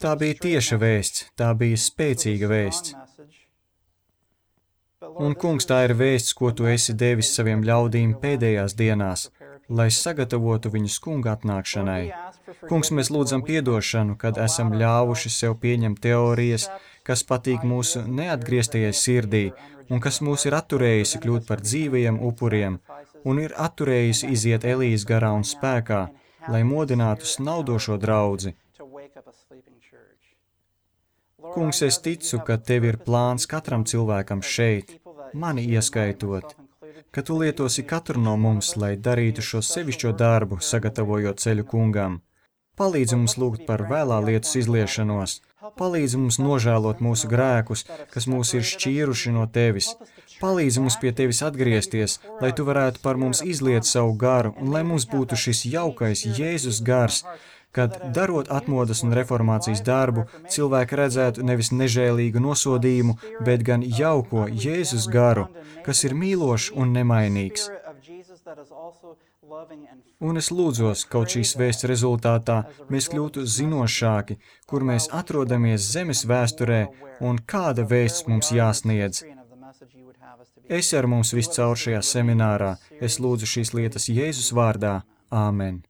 Tā bija tieša vēsts, tā bija spēcīga vēsts. Un, Kungs, tā ir vēsts, ko tu esi devis saviem ļaudīm pēdējās dienās, lai sagatavotu viņus Kunga atnākšanai. Kungs, mēs lūdzam piedošanu, kad esam ļāvuši sev pieņemt teorijas, kas patīk mūsu neatgrieztajai sirdī, un kas mūs ir atturējusi kļūt par dzīvajiem upuriem, un ir atturējusi iziet Elijas garā un spēkā, lai modinātu snaudošo draudzi. Kungs, es ticu, ka Tev ir plāns katram cilvēkam šeit, mani ieskaitot, ka Tu lietosi katru no mums, lai darītu šo sevišķo darbu, sagatavojot ceļu Kungam. Palīdzi mums lūgt par vēlā lietas izliešanos, palīdzi mums nožēlot mūsu grēkus, kas mūs ir šķīruši no Tevis. Palīdzi mums pie Tevis atgriezties, lai Tu varētu par mums izliet savu garu un lai mums būtu šis jaukais Jēzus gars, kad, darot atmodas un reformācijas darbu, cilvēki redzētu nevis nežēlīgu nosodījumu, bet gan jauko Jēzus garu, kas ir mīlošs un nemainīgs. Un es lūdzos, kaut šīs vēsts rezultātā mēs kļūtu zinošāki, kur mēs atrodamies zemes vēsturē un kāda vēsts mums jāsniedz. Esi ar mums viscaur šajā seminārā. Es lūdzu šīs lietas Jēzus vārdā. Āmen.